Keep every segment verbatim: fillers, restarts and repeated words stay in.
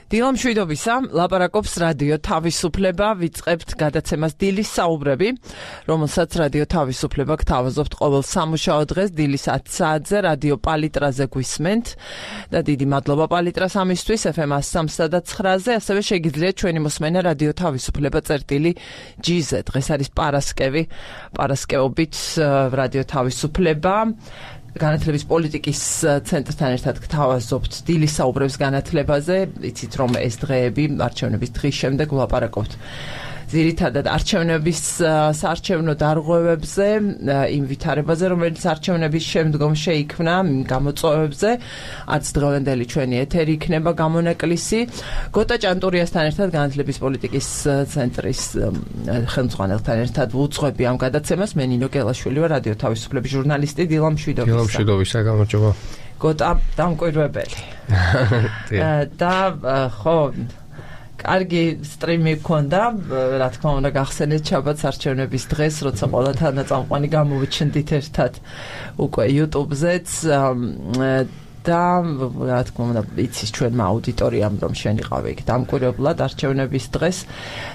დილა მშვიდობისა, ლაპარაკობს რადიო თავისუფლება, ვიწყებთ გადაცემას დილის საუბრები, რომელსაც რადიო თავისუფლება გთავაზობთ ყოველ სამუშაო დღეს დილის ათი საათზე რადიო პალიტრაზე გვისმენთ და დიდი მადლობა პალიტრას ამისთვის ეფ ემ სამსა და ცხრაზე, ასევე შეგიძლიათ ჩვენი მოსმენა რადიო თავისუფლება წერტილი ჯი-ზე. დღეს არის პარასკევი, პარასკევობით რადიო თავისუფლება განათლების პოლიტიკის ცენტრთან ერთად გთავაზობთ დილის საუბრებს განათლებაზე. იცით რომ ეს დღეები არჩევნების დღის შემდეგ ვლაპარაკობთ ძირითადად არჩევნების საარჩევნო დარღვევებზე, იმ ვითარებაზე, რომელიც არჩევნების შემდგომ შეიქმნა, გამოწვევებზე, არც დღევანდელი ჩვენი ეთერი იქნება გამონაკლისი. გოტა ჭანტურიასთან ერთად განათლების პოლიტიკის ცენტრის ხელმძღვანელთან ერთად ვუძღვები ამ გადაცემას. მე ნინო გელაშვილი ვარ, რადიო თავისუფლების ჟურნალისტი. დილა მშვიდობისა. დილა მშვიდობისა, გამარჯობა. გოტა დამკვირვებელი. და ხო კარგი სტრიმი გქონდა, რა თქმა უნდა გახსენეთ შაბათს არჩევნების დღეს, როცა ყველა თანაწამყვანი გამოვიჩნდით ერთად უკვე YouTube-ზეც და რა თქმა უნდა იცის ჩვენმა აუდიტორიამ რომ შენ იყავი იქ დამკვირვებლად არჩევნების დღეს.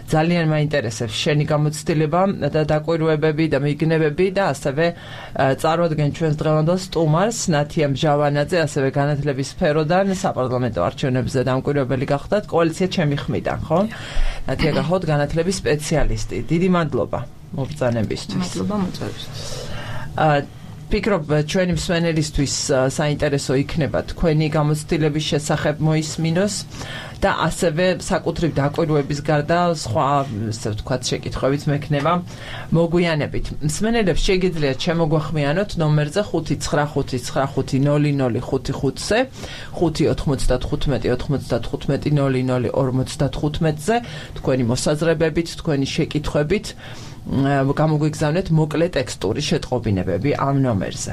ძალიან მაინტერესებს შენი გამოცდილება და დაკვირვებები და მიგნებები და ასევე წარვადგენ ჩვენს დღევანდელ სტუმარს ნათია მჟავანაძე, ასევე განათლების სფეროდან საპარლამენტო არჩევნებზე დამკვირვებელი გახდათ კოალიცია ჩემი ხმიდან, ხო? ნათია გახოთ განათლების სპეციალისტი. დიდი მადლობა მობრძანებისთვის. მადლობა მოწვევისთვის. ფიქრობ ჩვენი მსმენელისთვის საინტერესო იქნება თქვენი გამოცდილების შესახებ მოისმინოს და ასევე საკუთრივ დაკვირვების გარდა სხვა ასე ვთქვათ შეკითხვებით მექნება მოგვიანებით. მსმენელებს შეგიძლიათ შემოგვახმიანოთ ნომერზე ხუთი ცხრა ხუთი ცხრა ხუთი ნული ნული ხუთი ხუთზე, ხუთი ოთხმოცდათხუთმეტი ოთხმოცდათხუთმეტი ნული ნული ორმოცდათხუთმეტზე თქვენი მოსაზრებებით, თქვენი შეკითხვებით გამოგვიგზავნეთ მოკლე ტექსტური შეტყობინებები ამ ნომერზე.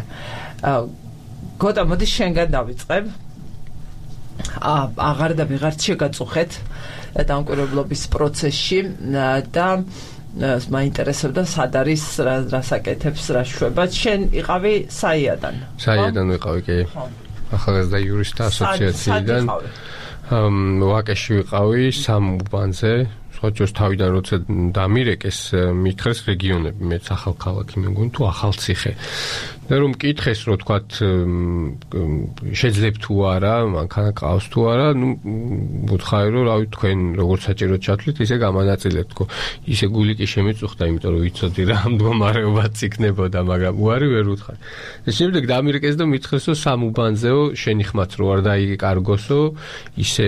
გოტა, მოდი შენგან დავიწყებ. აღარ და ვიღარც შეგაწუხეთ დამკვირვებლობის პროცესში და მაინტერესებდა სად არის რა საკეთებს რა შვება. შენ იყავი საიადან. საიადან ვიყავი, კი. ახალგაზრდა იურისტთა ასოციაციიდან. ვაკეში ვიყავი სამ უბანზე. ხოჭოს თავიდან როცა დამირეკეს მითხრეს რეგიონები, მეც ახალქალაქი მეგონი თუ ახალციხე. და რომ მკითხეს რომ თქვათ შეძლებ თუ არა, მანქანა ყავს თუ არა, ნუ ვუთხარი რომ რავი თქვენ როგორც საჭიროდ ჩათვლით, ისე გამანაწილებთ, თქო. ისე გული კი შემიწუხდა, იმიტომ რომ ვიცოდი რა მდგომარეობაც იქნებოდა, მაგრამ უარი ვერ ვუთხარი. და შემდეგ დამირეკეს და მითხრეს რომ სამ უბანზეო შენი ხმაც რო არ დაიკარგოსო, ისე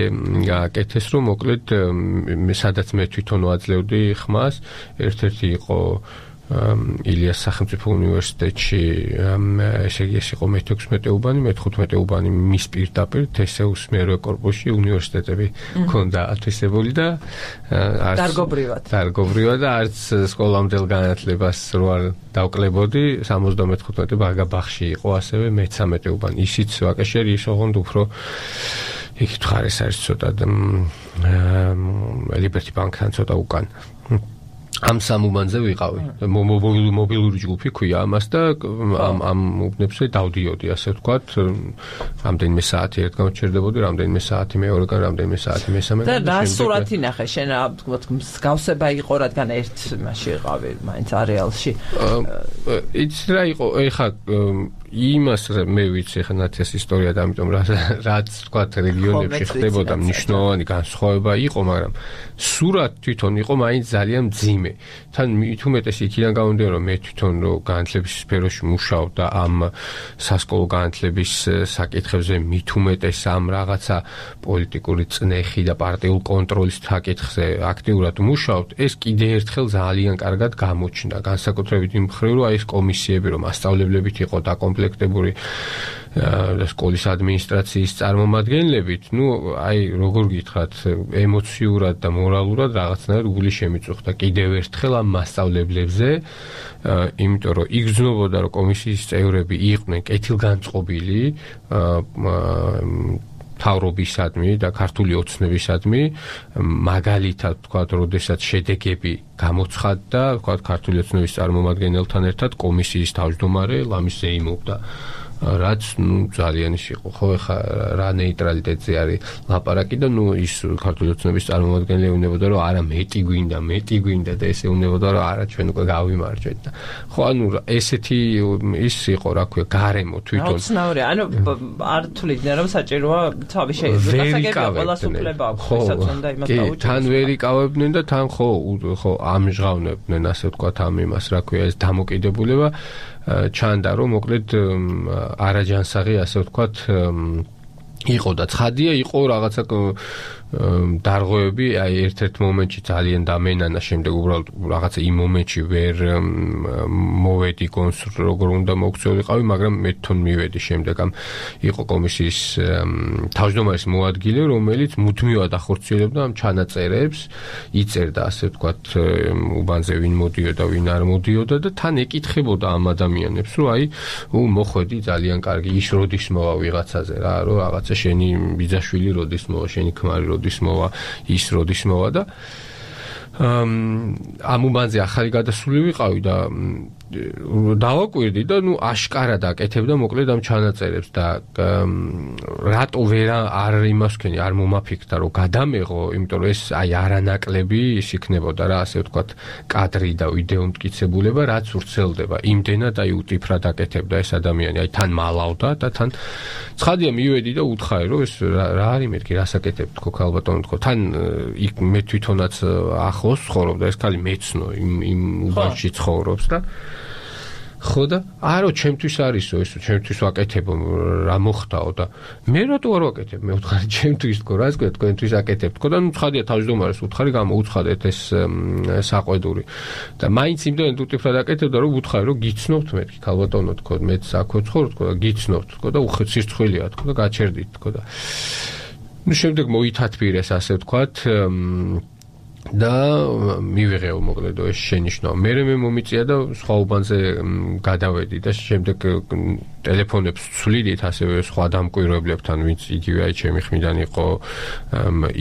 გაკეთეს რომ მოკლედ სადაც მე თვითონ ვაძლევდი ხმას, ერთ-ერთი იყო ილიას სახელმწიფო უნივერსიტეტში, ესე იგი ეს იყო მეთექვსმეტე უბანი, მეთოთხმეტე უბანი მის პირდაპირ თესეუს მერვე კორპუსში უნივერსიტეტები ჰქონდა ათვისებული და დარგობრივად. დარგობრივად და არც სკოლამდელ განათლებას რო არ დავკლებოდი, სამოცდამეთხუთმეტე ბაღში იყო ასევე მეცამეტე უბანი. ისიც ვაკეშერი ის ოღონდ უფრო იქ თხარეს არის ცოტა ლიბერტი ბანკთან ცოტა უკან. ამ სამ უბანზე ვიყავი. მობილური ჯგუფი ქვია ამას და ამ ამ უბნებზე დავდიოდი, ასე ვთქვათ, რამდენიმე საათი ერთ გამჩერდებოდი, რამდენიმე საათი მეორეგან, რამდენიმე საათი მესამე. და რა სურათი ნახე შენ, ვთქვათ, მსგავსება იყო, რადგან ერთ მასში ვიყავი, მაინც არეალში. იცი რა იყო, ეხა იმას მე ვიცი ხა ნათიას ისტორია და ამიტომ რაც თქვათ რეგიონებში ხდებოდა მნიშვნელოვანი განსხვავება იყო, მაგრამ სურათ თვითონ იყო მაინც ძალიან მძიმე. თან მით უმეტეს იქიდან გამომდინარე რომ მე თვითონ რო განათლების სფეროში მუშაობ და ამ სასკოლო განათლების საკითხებზე მით უმეტეს ამ რაღაცა პოლიტიკური წნეხი და პარტიულ კონტროლის საკითხზე აქტიურად მუშაობთ, ეს კიდე ერთხელ ძალიან კარგად გამოჩნდა. განსაკუთრებით იმ მხრივ რომ აი ეს კომისიები რომ მასწავლებლებით იყო დაკომპლექტებული და სკოლის ადმინისტრაციის წარმომადგენლებით, ნუ აი როგორ გითხრათ, ემოციურად და მორალურად რაღაცნაირად გული შემიწუხდა კიდევ ერთხელ ამ მასწავლებლებზე, იმიტომ რომ იგრძნობოდა რომ კომისიის წევრები იყვნენ კეთილგანწყობილი მთავრობისადმი და ქართული ოცნებისადმი, მაგალითად თქვათ, როდესაც შედეგები გამოცხადდა, თქვათ, ქართული ოცნების წარმომადგენელთან ერთად კომისიის თავმჯდომარე ლამის ზეიმობდა რაც ნუ ძალიან ის იყო ხო ეხა რა ნეიტრალიტეტზე არის ლაპარაკი და ნუ ის ქართული ოცნების წარმომადგენელი უნებოდა რომ არა მეტი გვინდა მეტი გვინდა და ესე უნებოდა რომ არა ჩვენ უკვე გავიმარჯვეთ და ხო ანუ ესეთი ის იყო რა ქვია გარემო თვითონ ოცნაური ანუ არ თuliდნენ რომ საჭიროა თავი შეიძლება გასაგებია ყველა სუფლება აქვს ვისაც უნდა იმას დაუჭიროს კი თან ვერ იკავებდნენ და თან ხო ხო ამჟღავნებდნენ ასე ვთქვათ ამ იმას რა ქვია ეს დამოკიდებულება ჩანდა რომ მოკლედ არაჯანსაღი ასე ვთქვათ იყო და ცხადია იყო რაღაცა დარღვევები აი ერთ-ერთ მომენტში ძალიან დამენანა შემდეგ უბრალოდ რაღაცა იმ მომენტში ვერ მოვედი გონს როგორ უნდა მოგწეულიყავი მაგრამ მე თვითონ მივედი შემდეგ ამ იყო კომისიის თავმჯდომარის მოადგილე რომელიც მუდმივად ახორციელებდა ამ ჩანაწერებს იწერდა ასე ვთქვათ უბანზე ვინ მოდიოდა ვინ არ მოდიოდა და თან ეკითხებოდა ამ ადამიანებს რომ აი მოხვედი ძალიან კარგი ის როდის მოვა ვიღაცაზე რა რომ რაღაცა შენი ბიძაშვილი როდის მოვა შენი ქმარი როდის მოვა ის როდის მოვა და ამ უბანზე ახალი გადასული ვიყავი და დავაკვირდი და ნუ აშკარად აკეთებდა მოკლედ ამ ჩანაწერებს და რატო ვერ არ იმას ვქენი არ მომაფიქრდა რომ გადამეღო იმიტომ რომ ეს აი არანაკლები ის იქნებოდა რა ასე ვთქვათ კადრი და ვიდეო მტკიცებულება რაც ვრცელდება იმდენად აი უტიფრად აკეთებდა ეს ადამიანი აი თან მალავდა და თან ცხადია მივედი და უთხარი რომ ეს რა არის მეთქი რას აკეთებ თქო ქალბატონო თქო თან იქ მე თვითონაც ახლოს ცხოვრობდა ეს ქალი მეცნო იმ იმ უბანში ცხოვრობს და ხო და არო ჩემთვის არისო ეს ჩემთვის ვაკეთებო რა მოხდაო და მე რატო არ ვაკეთებ მე ვთხარი ჩემთვის თქო რა ისე თქვენთვის აკეთებ თქო და ნუ ცხადია თავმჯდომარეს ვთხარი გამოუცხადეთ ეს საყვედური და მაინც იმდენად უტიფრად აკეთებდა რომ ვთხარი რომ გიცნობთ მეთქი ქალბატონო თქო მეც აქ ვცხოვრობ თქო და გიცნობთ თქო და უხეც სირცხვილია თქო და გაჩერდით თქო და ნუ შემდეგ მოითათბირეს ასე ვთქვათ და მივიღეო მოკლედ ეს შენიშნაო მე მე მომიწია და სხვა უბანზე გადავედი და შემდეგ ტელეფონებს ვცვლიდით ასევე სხვა დამკვირვებლებთან ვინც იგივე აი ჩემი ხმიდან იყო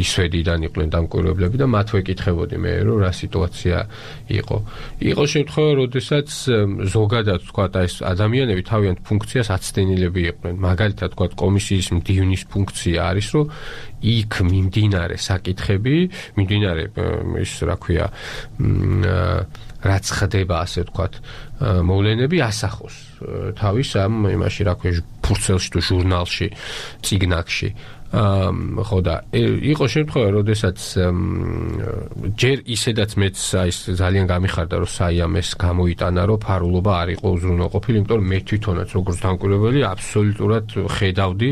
ისვედიდან იყვნენ დამკვირვებლები და მათ ვეკითხებოდი მე რომ რა სიტუაცია იყო იყო შემთხვევა როდესაც ზოგადად თქვა და ეს ადამიანები თავიანთ ფუნქციას აცდენილები იყვნენ მაგალითად თქვა კომისიის მდივნის ფუნქცია არის რომ იქ მიმდინარე საკითხები მიმდინარე ის რა ქვია რაც ხდება ასე ვთქვათ მოვლენები ასახოს თავის ამ იმაში რა ქვია ფურცელში თუ ჟურნალში წიგნაკში ხო და იყო შემთხვევა როდესაც ჯერ ისედაც მეც აი ძალიან გამიხარდა რომ საიამეს გამოიტანა რომ ფარულობა არ იყო უზრუნველყოფილი იმიტომ რომ მე თვითონაც როგორც დამკვირვებელი აბსოლუტურად ხედავდი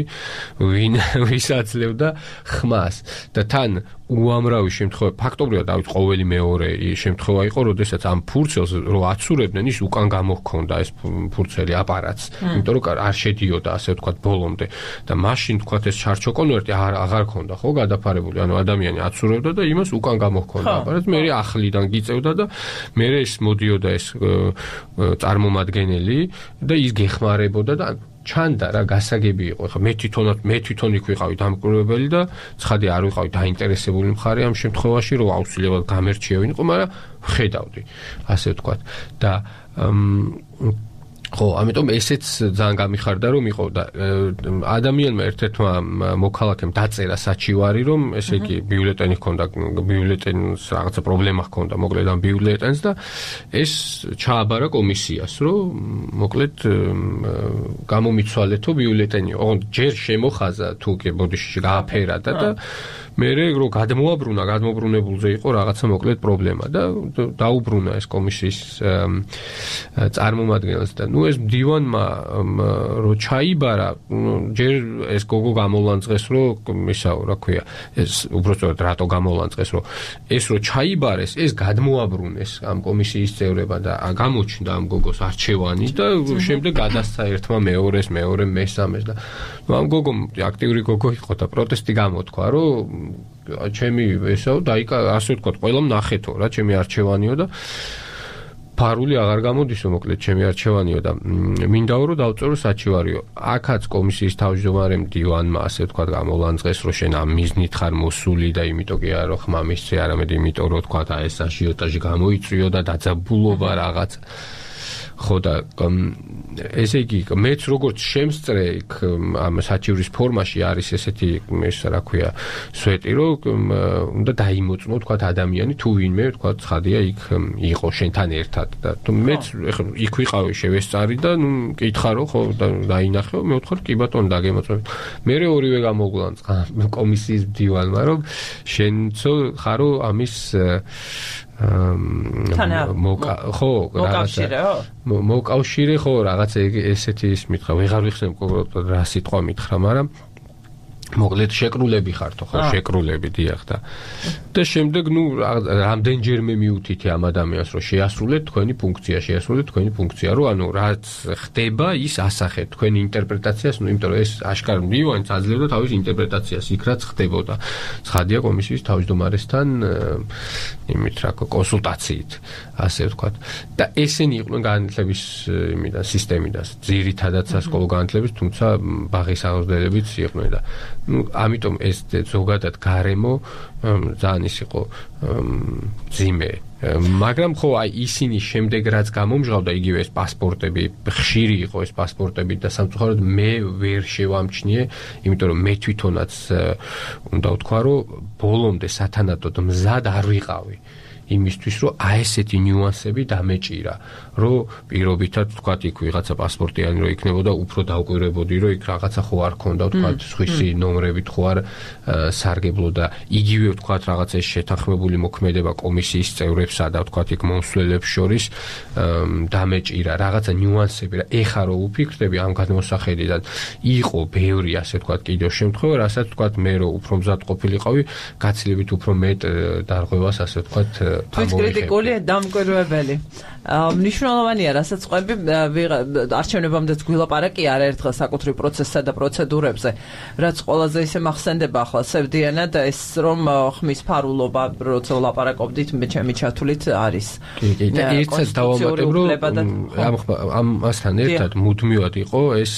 ვინ ვისაძლევდა ხმას და თან უამრავი შემთხვევა ფაქტობრივად დავით ყოველი მეორე შემთხვევა იყო როდესაც ამ ფურცელს რო აცურებდნენ ის უკან გამოჰქონდა ეს ფურცელი აპარატს იმიტომ რომ არ შედიოდა ასე ვთქვათ ბოლომდე და მაშინ ვთქვათ ეს ჩარჩოკონვერტი აღარ ქონდა ხო გადაფარებული ანუ ადამიანი აცურებდა და იმას უკან გამოჰქონდა აპარატს მე ახლიდან გიწევდა და მე ეს მოდიოდა ეს წარმომადგენელი და ის გეხმარებოდა და ჩანდა რა გასაგები იყო ხა მე თვითონაც მე თვითონ იქ ვიყავი დამკვირვებელი და ცხადი არ ვიყავი დაინტერესებული მხარე ამ შემთხვევაში რომ აუცილებლად გამერჩიევინიყო მაგრამ ხედავდი ასე ვთქვათ და ხო, ამიტომ ესეც ძალიან გამიხარდა რომ იყო და ადამიანმა ერთ-ერთმა მოქალაქემ დაწერა საჩივარი რომ ესე იგი ბიულეტენი ჰქონდა ბიულეტენს რაღაცა პრობლემა ჰქონდა მოკლედ ამ ბიულეტენს და ეს ჩააბარა კომისიას რომ მოკლედ გამომიცვალეთო ბიულეტენი ოღონდ ჯერ შემოხაზა თუ კი ბოდიში გააფერა და და მე რო გადმოაბრუნა გადმობრუნებულზე იყო რაღაცა მოკლედ პრობლემა და დაუბრუნა ეს კომისიის წარმომადგენელს და ნუ ეს მდივანმა რო ჩაიბარა ჯერ ეს გოგო გამოლანძღეს რომ ისაო რა ქვია ეს უბრალოდ რატო გამოლანძღეს რომ ეს რო ჩაიბარეს ეს გადმოაბრუნეს ამ კომისიის წევრებმა და გამოჩნდა ამ გოგოს არჩევანი და შემდეგ გადასცა ერთმა მეორეს მეორე მესამეს და ამ გოგომ აქტიური გოგო იყო და პროტესტი გამოთქვა რომ ჩემი ესაო დაიკა ასე ვთქვათ ყველამ ნახეთო რა ჩემი არჩევანიო და ფარული აღარ გამოდისო მოკლედ ჩემი არჩევანიო და მინდაო რომ დავწერო საჩივარიო აქაც კომისიის თავმჯდომარემ დივანმა ასე ვთქვათ გამოლანძღეს რომ შენ ამ მიზნით ხარ მოსული და იმიტომ კი არა რომ ხმა მისცე არამედ იმიტომ რომ ვთქვათ აი ეს აჟიოტაჟი გამოიწვიო და დაძაბულობა რაღაც ხო და ესე იგი მეც როგორც შემსწრე იქ ამ საჩივრის ფორმაში არის ესეთი ეს რა ქვია სვეტი რომ უნდა დაიმოწმო თქვა ადამიანი თუ ვინმე თქვა ცხადია იქ იყო შენთან ერთად და თუ მეც ეხლა იქ ვიყავი შევესწარი და ნუ მკითხა რომ ხო დაინახე მე ვთქვი კი ბატონო დაგემოწმეთ მე ორივე გამოგვანწყა კომისიის მდივანმა რომ შენცო ხარო ამის მოკა ხო მოკავშირე მოკავშირე ხო რაღაცა ესეთი ის მითხრა ვეღარ ვიხსენ რა სიტყვა მითხრა მაგრამ მოკლედ შეკრულები ხართო ხო შეკრულები დიახ და და შემდეგ ნუ რამდენჯერმე მიუთითე ამ ადამიანს რომ შეასრულეთ თქვენი ფუნქცია შეასრულეთ თქვენი ფუნქცია რომ ანუ რაც ხდება ის ასახეთ თქვენი ინტერპრეტაციას ნუ იმიტომ რომ ეს აშკარად მივანც აძლევდა თავის ინტერპრეტაციას იქ რაც ხდებოდა ცხადია კომისიის თავმჯდომარესთან იმით რა კონსულტაციით ასე ვთქვათ და ესენი იყვნენ განათლების იმიდან სისტემიდან ძირითადად სასკოლო განათლების თუმცა ბაღის აღზრდებიც იყვნენ და ну, ამიტომ ეს ზოგადად გარემო ძალიან ის იყო ძიმე მაგრამ ხო აი ისინი შემდეგ რაც გამომჟღავდა იგივე ეს პასპორტები ხშირი იყო ეს პასპორტები და სამწუხაროდ მე ვერ შევამჩნიე იმიტომ რომ მე თვითონაც უნდა ვთქვა რომ ბოლომდე სათანადოდ მზად არ ვიყავი იმისთვის რომ აი ესეთი ნიუანსები დამეჭირა რომ პირობითად ვთქვათ იქ ვიღაცა პასპორტიანი რო იქნებოდა უფრო დავკვირვებოდი რომ იქ რაღაცა ხო არ ქონდა ვთქვათ სხვისი ნომრებით ხო არ სარგებლო და იგივე ვთქვათ რაღაცა ეს შეთანხმებული მოქმედება კომისიის წევრებსა და ვთქვათ იქ მომსვლელებს შორის დამეჭირა რაღაცა ნიუანსები რა ეხა რო უფიქრდები ამ გადმოსახედიდან იყო ბევრი ასე ვთქვათ კიდევ შემთხვევა რასაც ვთქვათ მე რო უფრო მზად ყოფილიყავი გაცილებით უფრო მეტ დარღვევას ასე ვთქვათ თვით კრიტიკული დამკვირვებელი მნიშვნელოვანია რასაც ყვები არჩევნებამდეც გვილაპარაკი არაერთხელ საკუთრივ პროცესსა და პროცედურებზე რაც ყველაზე ისე მახსენდება ახლა სევდიანად ეს რომ ხმის ფარულობა როცა ვლაპარაკობდით მე ჩემი ჩათვლით არის კი კი და ერთად დავამატებ რომ ამასთან ერთად მუდმივად იყო ეს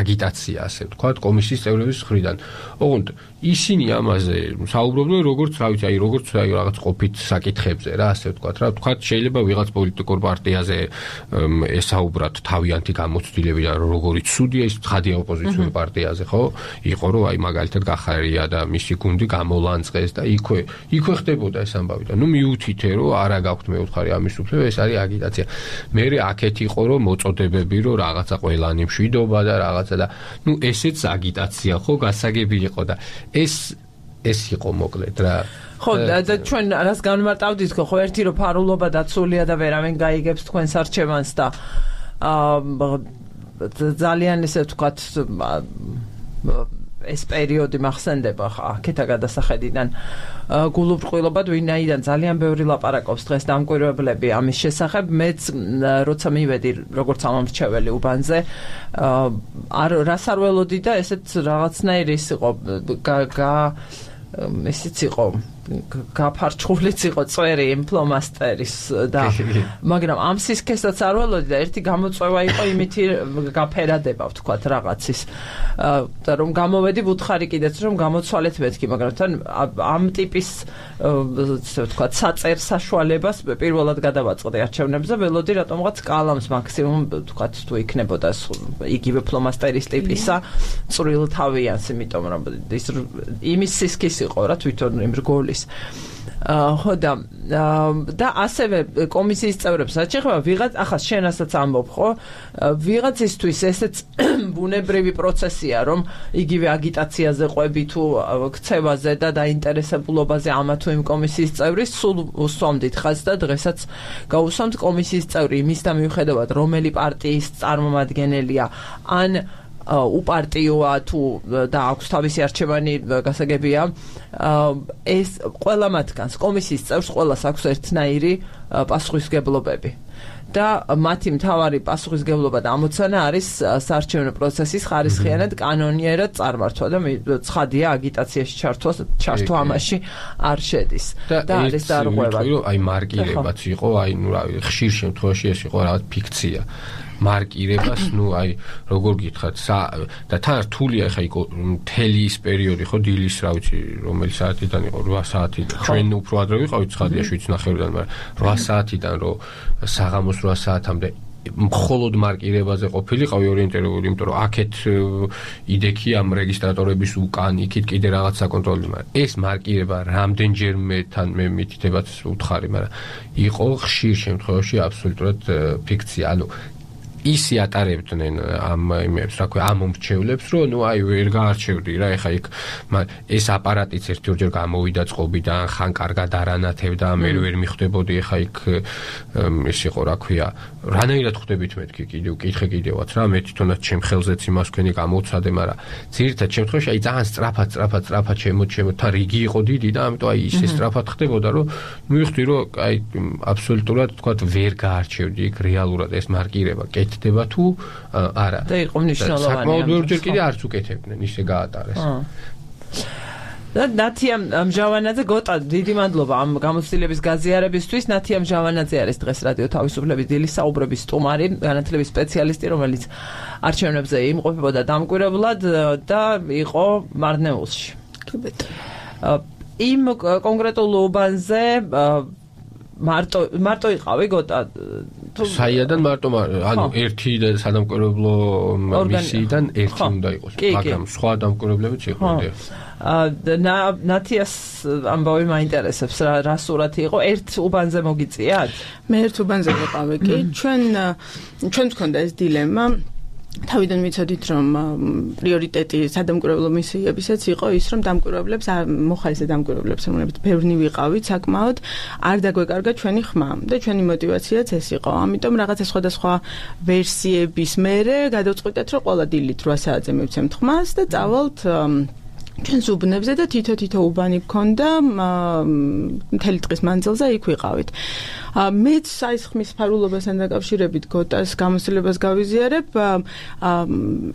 აგიტაცია ასე ვთქვათ კომისიის წევრების მხრიდან ოღონდ ისინი ამაზე საუბრობდნენ როგორც რა ვიცი აი როგორც აი რაღაც ყოფით საკითხებზე რა ასე ვთქვათ რა ვთქვათ შეიძლება ვიღაც პოლიტიკურ პარტიაზე ესაუბრათ თავიანთი გამოცდილებიდან როგორი ცუდია ის ცხადია ოპოზიციურ პარტიაზე ხო იყო რომ აი მაგალითად გახარია და მისი გუნდი გამოლანწყეს და იქვე იქვე ხდებოდა ეს ამბავი და ნუ მიუთითე რომ არა გაქვთ მე ვთხარი ამის უფლება ეს არის აგიტაცია მე აქეთ იყო რომ მოწოდებები რომ რაღაცა ყველანი მშვიდობა და რაღაცა და ნუ ესეც აგიტაცია ხო გასაგები იყო და ეს ეს იყო მოკლედ რა ხო და ჩვენ რას განმარტავდით ხო ერთი რომ ფარულობა დაცულია და ვერავინ გაიგებს თქვენს არჩევანს და ძალიან ესე ვთქვათ ეს პერიოდი მახსენდება ხა აქეთა გადასახედიდან გულუბრყვილობად ვინაიდან ძალიან ბევრი ლაპარაკობს დღეს დამკვირვებლები ამის შესახებ მეც როცა მივედი როგორც ამომრჩეველი უბანზე არ რას არ ველოდი და ესეც რაღაცნაირი ის იყო გა ესეც იყო გაფარჩხულიც იყო წვერი იმ ფლომასტერის და მაგრამ ამ სისქესაც არ ველოდი და ერთი გამოწვევა იყო იმითი გაფერადება ვთქვათ რაღაცის და რომ გამოვედი ვუთხარი კიდეც რომ გამოცვალეთ მეთქი მაგრამ თან ამ ტიპის ვთქვათ საწერ საშუალებას პირველად გადავაწყდი არჩევნებზე ველოდი რატომღაც კალამს მაქსიმუმ ვთქვათ თუ იქნებოდა იგივე ფლომასტერის ტიპისა წვრილ თავიანს იმიტომ რომ ის იმის სისქის იყო რა თვითონ იმ რგოლის ხო და და ასევე კომისიის წევრებს რაც შეეხება ვიღაც ახლა შენასაც ამბობ ხო ვიღაცისთვის ესეც ბუნებრივი პროცესია რომ იგივე აგიტაციაზე ყვები თუ ქცევაზე და დაინტერესებულობაზე ამა თუ იმ კომისიის წევრის სულ უსვამდით ხაზს და დღესაც გაუსვამთ კომისიის წევრი იმის და მიუხედავად რომელი პარტიის წარმომადგენელია ან უპარტიოა თუ და აქვს თავისი არჩევანი გასაგებია ეს ყველა მათგანს კომისიის წევრს ყველას აქვს ერთნაირი პასუხისმგებლობები და მათი მთავარი პასუხისმგებლობა და ამოცანა არის საარჩევნო პროცესის ხარისხიანად კანონიერად წარმართვა და ცხადია აგიტაციაში ჩართვა ჩართვა ამაში არ შედის და არის დარღვევა აი მარკირებაც იყო აი ნუ რა ხშირ შემთხვევაში ეს იყო რაღაც ფიქცია მარკირებას, ნუ აი როგორ გითხათ და თან რთულია ხა იქ მთელი ის პერიოდი ხო დილის რა ვიცი რომელი საათიდან იყო რვა საათიდან ჩვენ უფრო ადრე ვიყავით ცხადია შვიდ ნახევრიდან მაგრამ რვა საათიდან რომ საღამოს რვა საათამდე მხოლოდ მარკირებაზე ყოფილიყავი ორიენტირებული, იმიტომ რომ აქეთ იდექი ამ რეგისტრატორების უკან იქით კიდე რაღაც საკონტროლო, მაგრამ ეს მარკირება რამდენჯერმე თან მე მითითებაც უთხარი, მაგრამ იყო ხშირ შემთხვევაში აბსოლუტურად ფიქცია. ანუ ისი ატარებდნენ ამ იმებს, რა ქვია, ამ მომრჩევლებს, რომ ნუ აი ვერ გაარჩევდი რა, ეხა იქ ეს აპარატიც ერთ-ორჯერ გამოვიდა წყობიდან, ხან კარგად არანათებდა, მე ვერ მიხვდებოდი, ეხა იქ ეს იყო, რა ქვია, რანაირად ხვდებით მეთქი კიდევ, კითხე კიდევაც რა, მე თვითონაც ჩემ ხელზეც იმას თქვენი გამოვცადე, მაგრამ ძირითად შემთხვევაში აი ძალიან სწრაფად, სწრაფად, სწრაფად შემო შემო თან რიგი იყო დიდი და ამიტომ აი ისე სწრაფად ხდებოდა, რომ მივხვდი, რომ აი აბსოლუტურად თქვა ვერ გაარჩევდი იქ რეალურად ეს მარკირება. ხდება თუ არა. და იყო მნიშვნელოვანი. საკმაოდ ბევრჯერ კიდე არც უკეთებდნენ, ისე გაატარეს. და ნათია მჟავანაძე, გოტა, დიდი მადლობა ამ გამოცდილების გაზიარებისთვის. ნათია მჟავანაძე არის დღეს რადიო თავისუფლების დილის საუბრების სტუმარი, განათლების სპეციალისტი, რომელიც არჩევნებზე იმყოფებოდა დამკვირვებლად და იყო მარნეულში. იმ კონკრეტულ უბანზე მარტო მარტო იყავი გოტა საიადან მარტო ანუ ერთი სადამკვირვებლო მისიიდან ერთი უნდა იყოს, მაგრამ სხვა დამკვირვებლებიც იყო. და ნათიას ამბავი მაინტერესებს, რა რა სურათი იყო, ერთ უბანზე მოგიწიათ? მე ერთ უბანზე ვიყავი კი, ჩვენ ჩვენ გქონდა ეს დილემა. თავიდან ვიცოდით, რომ პრიორიტეტი სადამკვირვებლო მისიებისაც იყო ის, რომ დამკვირვებლებს, მოხალისე დამკვირვებლებს, რომლებიც ბევრნი ვიყავით საკმაოდ, არ დაგვეკარგა ჩვენი ხმა და ჩვენი мотиваციაც ეს იყო. ამიტომ რაღაცა სხვადასხვა ვერსიების მერე გადავწყვიტეთ, რომ ყველა დილით რვა საათზე მივცემთ ხმას და წავალთ ჩვენს უბნებზე და თითო-თითო უბანი გქონდა მთელი დღის მანძილზე იქ ვიყავით. მეც საის ხმის ფარულობასთან დაკავშირებით გოტას გამოცდილებას გავიზიარებ.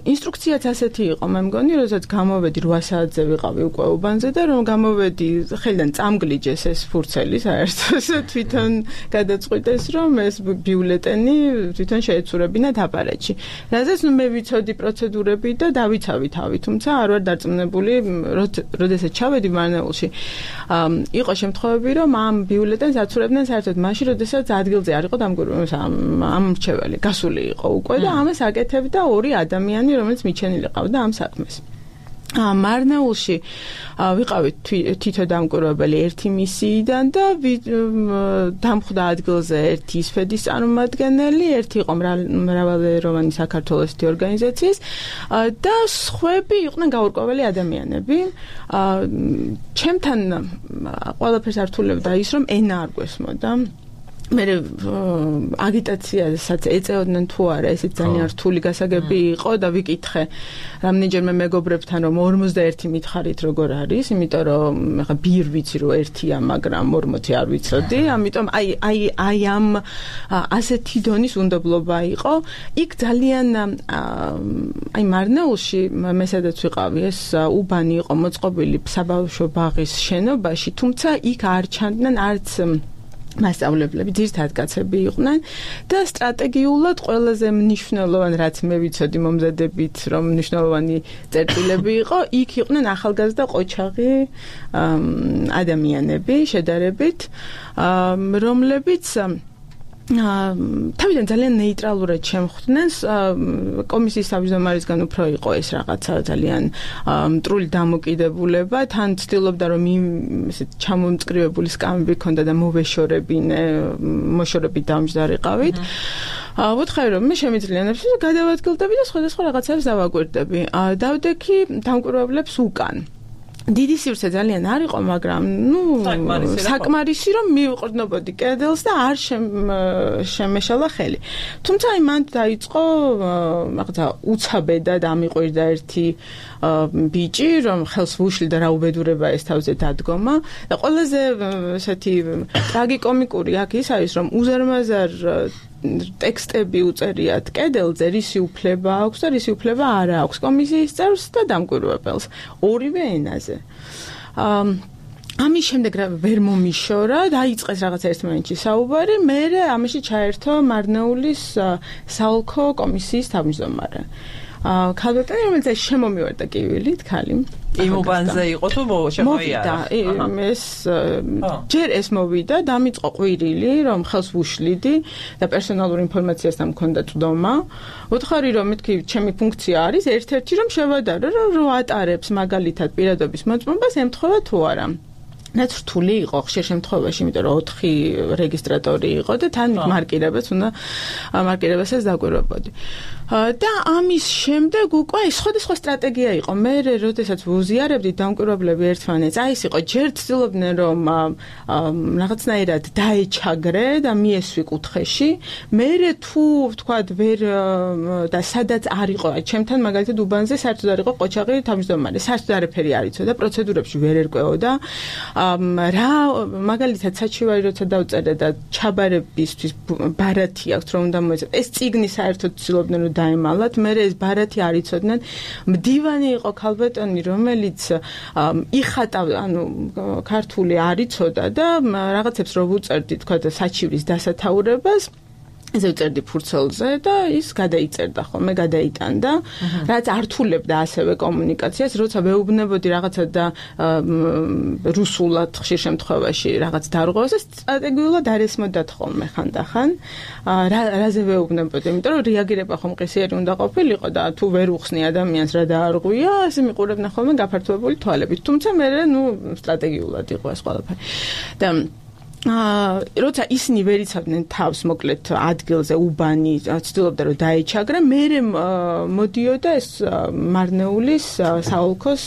ინსტრუქციაც ასეთი იყო, მე მგონი, როდესაც გამოვედი რვა საათზე ვიყავი უკვე უბანზე და რომ გამოვედი ხელიდან წამგლიჯეს ეს ფურცელი საერთოდ თვითონ გადაწყვიტეს, რომ ეს ბიულეტენი თვითონ შეეცურებინათ აპარატში. რადგან ნუ მე ვიცოდი პროცედურები და დავიცავი თავი, თუმცა არ ვარ დარწმუნებული, როდესაც ჩავედი მარნეულში. იყო შემთხვევები, რომ ამ ბიულეტენს აცურებდნენ საერთოდ მაშინ, როდესაც ადგილზე არ იყო დამკვირვებელი ამ მრჩეველი, გასული იყო უკვე და ამას აკეთებდა ორი ადამიანი, რომელიც მიჩენილი ყავდა ამ საქმეს. მარნეულში ვიყავით თითო დამკვირვებელი ერთი მისიიდან და დამხვდა ადგილზე ერთი ისფედის წარმომადგენელი, ერთი იყო მრავალეროვანი საქართველოსი ორგანიზაციის და სხვები იყვნენ გაურკვეველი ადამიანები. ჩემთან ყველაფერს ართულებდა ის, რომ ენა არ გვესმოდა. მე აგიტაციასაც ეწეოდნენ თუ არა, ესეც ძალიან რთული გასაგები იყო და ვიკითხე რამდენჯერმე მეგობრებთან, რომ ორმოცდაერთი მითხარით როგორ არის, იმიტომ რომ ხა ბირ ვიცი რომ ერთია, მაგრამ ორმოცი არ ვიცოდი, ამიტომ აი აი აი ამ ასეთი დონის უნდობლობა იყო. იქ ძალიან აი მარნეულში მე სადაც ვიყავი, ეს უბანი იყო მოწყობილი საბავშვო ბაღის შენობაში, თუმცა იქ არ ჩანდნენ არც მასწავლებლები, ძირითადად კაცები იყვნენ და სტრატეგიულად ყველაზე მნიშვნელოვანი, რაც მე ვიცოდი მომზადებით, რომ მნიშვნელოვანი წერტილები იყო, იქ იყვნენ ახალგაზრდა ყოჩაღი ადამიანები შედარებით, რომლებიც თავიდან ძალიან ნეიტრალურად შემხვდნენ. კომისიის თავმჯდომარისგან უფრო იყო ეს რაღაცა ძალიან მტრული დამოკიდებულება, თან ცდილობდა რომ ესე ჩამომწკრივებული სკამები ქონდა და მოვეშორებინე, მოშორებით დამჯდარიყავით. ვუთხარი რომ მე შემიძლია ნებსი გადავადგილდები და სხვადასხვა რაღაცებს დავაკვირდები. დავდექი დამკვირვებლებს უკან. დიდი სივრცე ძალიან არ იყო, მაგრამ ნუ საკმარისი რომ მივიყრდნობოდი კედელს და არ შემეშალა ხელი. თუმცა აი მან დაიწყო რაღაცა უცაბედად ამიყვირდა ერთი ბიჭი, რომ ხელს ვუშლიდა რა უბედურება ეს თავზე დადგომა და ყველაზე ესეთი ტრაგიკომიკური აქ ის არის, რომ უზარმაზარ ტექსტები უწერიათ კედელზე, რისი უფლება აქვს და რისი უფლება არ აქვს კომისიის წევრს და დამკვირვებელს ორივე ენაზე. ამის შემდეგ ვერ მომიშორა, დაიწყეს რაღაც ერთ მომენტში საუბარი, მერე ამაში ჩაერთო მარნეულის საოლქო კომისიის თავმჯდომარე. ქალბატონი, რომელიც შემომივარდა კივილით, ქალი. იმ უბანზე იყო თუ შემოიარა? ეს ჯერ ეს მოვიდა, დამიწყო ყვირილი, რომ ხელს ვუშლიდი და პერსონალურ ინფორმაციასთან მქონდა წვდომა. ვუთხარი, რომ მეთქი, ჩემი ფუნქცია არის ერთ-ერთი, რომ შევადარო, რომ ატარებს მაგალითად პირადობის მოწმობას ემთხვევა თუ არა. რაც რთული იყო ხშირ შემთხვევაში, იმიტომ რომ ოთხი რეგისტრატორი იყო და თან მარკირებას უნდა მარკირებასაც დაგვირვებოდი. და ამის შემდეგ უკვე სხვადასხვა სტრატეგია იყო. მე როდესაც ვუზიარებდი დამკვირვებლები ერთმანეთს, აი ეს იყო, ჯერ ცდილობდნენ რომ რაღაცნაირად დაეჩაგრე და მიესვი კუთხეში. მე თუ ვთქვათ ვერ და სადაც არ იყო, ჩემთან მაგალითად უბანზე საერთოდ არ იყო ყოჩაღი თავმჯდომარე, საერთოდ არაფერი არ იცოდა, პროცედურებში ვერ ერკვეოდა. რა მაგალითად საჩივარი როცა დავწერე და ჩაბარებისთვის ბარათი აქვს რომ უნდა მოეწოდოთ. ეს წიგნი საერთოდ ცდილობდნენ რომ დაემალათ, მე ეს ბარათი არ იცოდნენ. მდივანი იყო ქალბატონი, რომელიც იხატა, ანუ ქართული არ იცოდა და რაღაცებს რო ვუწერდი, თქვა და საჩივრის დასათაურებას ესე ვწერდი ფურცელზე და ის გადაიწერდა ხოლმე, გადაიტანდა, რაც ართულებდა ასევე კომუნიკაციას, როცა ვეუბნებოდი რაღაცა და რუსულად ხშირ შემთხვევაში რაღაც დარღვევას, სტრატეგიულად არ ესმოდათ ხოლმე ხანდახან. რაზე ვეუბნებოდი, იმიტომ რომ რეაგირება ხომ ყისიერი უნდა ყოფილიყო და თუ ვერ უხსნი ადამიანს რა დაარღვია, ასე მიყურებდნენ ხოლმე გაფართოებული თვალებით. თუმცა მე ნუ სტრატეგიულად იყო ეს ყველაფერი. და აა როცა ისინი ვერ იცავდნენ თავს მოკლედ ადგილზე უბანი ცდილობდა რომ დაეჩაგრა, მე მოდიოდა ეს მარნეულის საოლქოს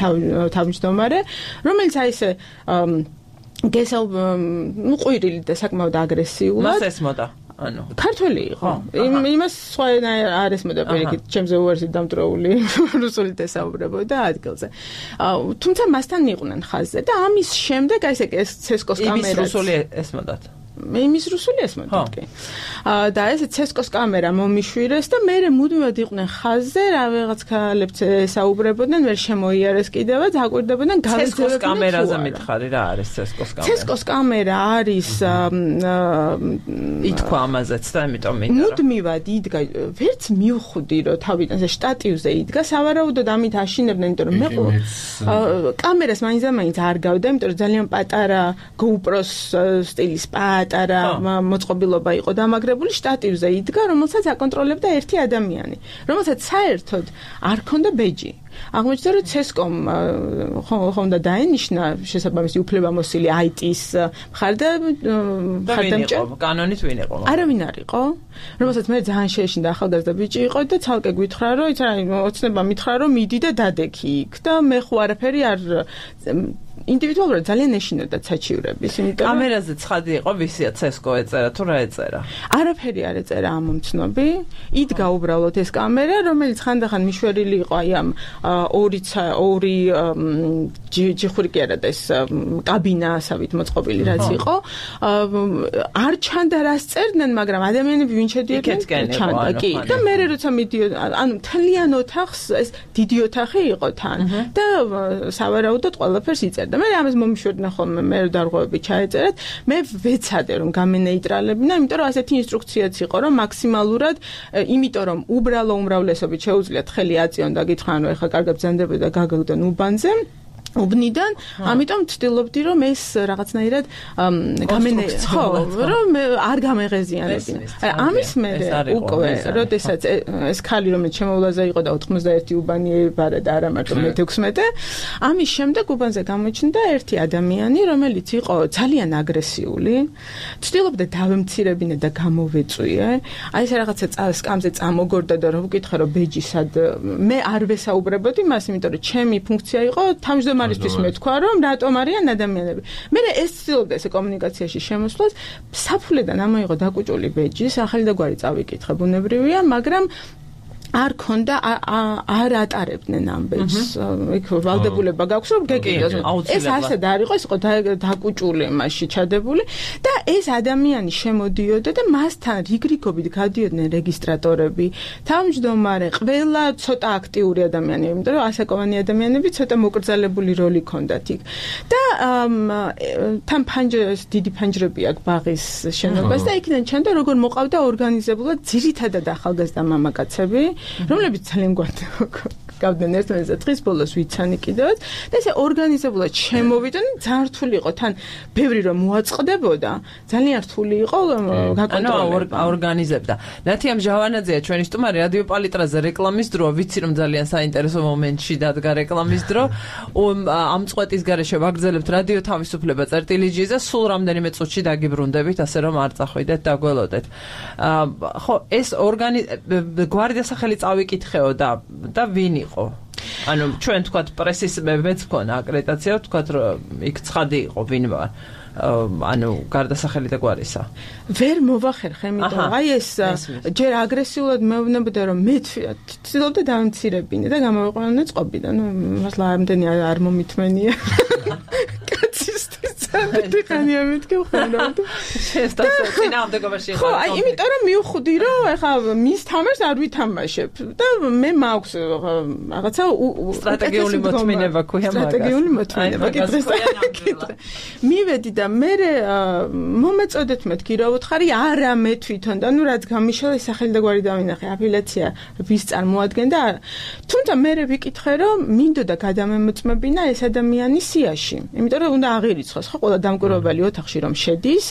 თავმჯდომარე, რომელიც აი ესე გესალ ნუ ყვირილი და საკმაოდ აგრესიულად მას ესმოდა. ანუ ქართველი იყო. იმას სხვა ენა არ ესმოდა პირიქით, ჩემზე უარსი დამტრეული რუსულით ესაუბრებოდა ადგილზე. თუმცა მასთან მიყვნენ ხაზზე და ამის შემდეგ აი ეს ცესკოს კამერა იმის რუსული ესმოდათ. იმის რუსული ესმოდათ კი. და ეს ცესკოს კამერა მომიშვირეს და მე მუდმივად იყვნენ ხაზზე, რაღაც ქალებიც ესაუბრებოდნენ, ვერ შემოიარეს კიდევაც, აკვირდებოდნენ გავეძებდნენ. ცესკოს კამერაზე მითხარი რა არის ცესკოს კამერა? ცესკოს კამერა არის ითქვა ამაზეც და ამიტომ მინდა. მუდმივად იდგა, ვერც მივხვდი რომ თავიდან ეს შტატივზე იდგა, სავარაუდოდ ამით აშინებდნენ, იმიტომ რომ მე კამერას მაინც და მაინც არ გავდა, იმიტომ რომ ძალიან პატარა GoPro-s სტილის პატარა მოწყობილობა იყო დამაგრებული, შტატივზე იდგა, რომელსაც აკონტროლებდა ერთი ადამიანი, რომელსაც საერთოდ არ ჰქონდა ბეჯი. აღმოჩნდა რომ ცესკომ ხომ და დაენიშნა შესაბამისი უფლებამოსილი აი ტის მხარდა მხარდამჭერ კანონით ვინ იყო? არავინ არ იყო, რომელსაც მე ძალიან შეეშინდა, ახალგაზრდა ბიჭი იყო და ცალკე გვითხრა რომ იცი რა ოცნება მითხრა რომ მიდი და დადექი იქ და მე ხო არაფერი არ ინდივიდუალურად ძალიან ეშინოდა საჩივრების, იმიტომ რომ კამერაზე ცხადი იყო ვისია ცესკო ეწერა თუ რა ეწერა? არაფერი არ ეწერა ამ მომცნობი. იდგა უბრალოდ ეს კამერა, რომელიც ხანდახან მიშვერილი იყო აი ამ ორი ორი ჯიხური კი არა და ეს კაბინა ასავით მოწყობილი რაც იყო. არ ჩანდა რას წერდნენ, მაგრამ ადამიანები ვინ შედიოდნენ ჩანდა კი. და მე როცა მიდიოდა, ანუ მთლიან ოთახს ეს დიდი ოთახი იყო თან და სავარაუდოდ ყველაფერს იწერდა. მე ამას მომიშვერდნენ ხოლმე, მე დარღვევები ჩაეწერეთ, მე ვეცადე რომ გამენეიტრალებინა, იმიტომ რომ ასეთი ინსტრუქციაც იყო, რომ მაქსიმალურად, იმიტომ რომ უბრალო უმრავლესობით შეუძლიათ ხელი აწიონ და გითხრან რომ ეხლა კარგად ბრძანდებოდა და გაგაგდნენ უბანზე უბნიდან, ამიტომ ვცდილობდი რომ ეს რაღაცნაირად გამენე ხო, რომ არ გამეღეზიანებინა. ამის მერე უკვე, როდესაც ეს ქალი რომელიც შემოვლაზე იყო და ოთხმოცდაერთი უბანი ებარა და არა მარტო მეთექვსმეტე, ამის შემდეგ უბანზე გამოჩნდა ერთი ადამიანი, რომელიც იყო ძალიან აგრესიული, ვცდილობდა დავემცირებინა და გამოვეწვიე. აი ეს რაღაცა სკამზე წამოგორდა და რომ ვკითხე რომ ბეჯი სად მე არ ვესაუბრებოდი მას, იმიტომ რომ ჩემი ფუნქცია იყო თავმჯდომარე მარისთვის მე თქვა რომ რატომ არიან ადამიანები. მე ეს ცდილობდა ესე კომუნიკაციაში შემოსვლას, საფულედან ამოიღო დაკუჭული ბეჯი, ახალი და გვარი წავიკითხე, ბუნებრივია, მაგრამ არ ქონდა არ ატარებდნენ ამ ბეჯს. იქ ვალდებულება გაქვს რომ გეკიდოს. ეს ასად არ იყო, ეს იყო დაკუჭული მასში ჩადებული და ეს ადამიანი შემოდიოდა და მასთან რიგრიგობით გადიოდნენ რეგისტრატორები, თავმჯდომარე, ყველა ცოტა აქტიური ადამიანები, იმიტომ რომ ასაკოვანი ადამიანები ცოტა მოკრძალებული როლი ჰქონდათ იქ. და თან ფანჯრას დიდი ფანჯრები აქვს ბაღის შენობას და იქიდან ჩანდა როგორ მოყავდა ორგანიზებულად ძირითადად ახალგაზრდა მამაკაცები. რომლებიც ძალიან გვაქვს გავდნენ ერთმანეთზე დღის ბოლოს ვიცანი კიდევაც და ესე ორგანიზებულად შემოვიდნენ ძალიან რთული იყო თან ბევრი რომ მოაწყდებოდა ძალიან რთული იყო გაკონტროლება ორგანიზებდა ნათია მჟავანაძეა ჩვენი სტუმარი რადიო პალიტრაზე რეკლამის დრო ვიცი რომ ძალიან საინტერესო მომენტში დადგა რეკლამის დრო ამ წვეტის გარეშე ვაგრძელებთ რადიო თავისუფლება წერტილიჯიზე სულ რამდენიმე წუთში დაგიბრუნდებით ასე რომ არ წახვიდეთ და გველოდეთ ხო ეს ორგანი გვარდიასახელი წავიკითხეო და და ვინ იყო ანუ ჩვენ თქვათ პრესის მეც მქონა აკრედიტაცია თქვათ რომ იქ ცხადი იყო ვინ ვარ ანუ გარდასახელი და გვარისა ვერ მოვახერხე იმიტომ აი ეს ჯერ აგრესიულად მეუბნებოდა რომ მე ცდილობდა დამცირებინე და გამოვიყვანე წყობიდან ნუ მასლა ამდენი არ მომითმენია დიხანია მეთქე ხონდა შესტასო წინააღმდეგობაში ხო აი იმიტომ რომ მივხვდი რომ ეხა მის თამაშს არ ვითამაშებ და მე მაქვს რაღაცა სტრატეგიული მოთმინება ქვია მაგას სტრატეგიული მოთმინება კიდე მივედი და მე მომეწოდეთ მეთქი რა უთხარი არა მე თვითონ და ნუ რაც გამიშალა სახელი და გვარი დავინახე აფილაცია ვის წარმოადგენდა თუმცა მე ვიკითხე რომ მინდოდა გადამემოწმებინა ეს ადამიანი სიაში იმიტომ რომ უნდა აღირიცხოს ხო ყველა დამკვირვებელი ოთახში რომ შედის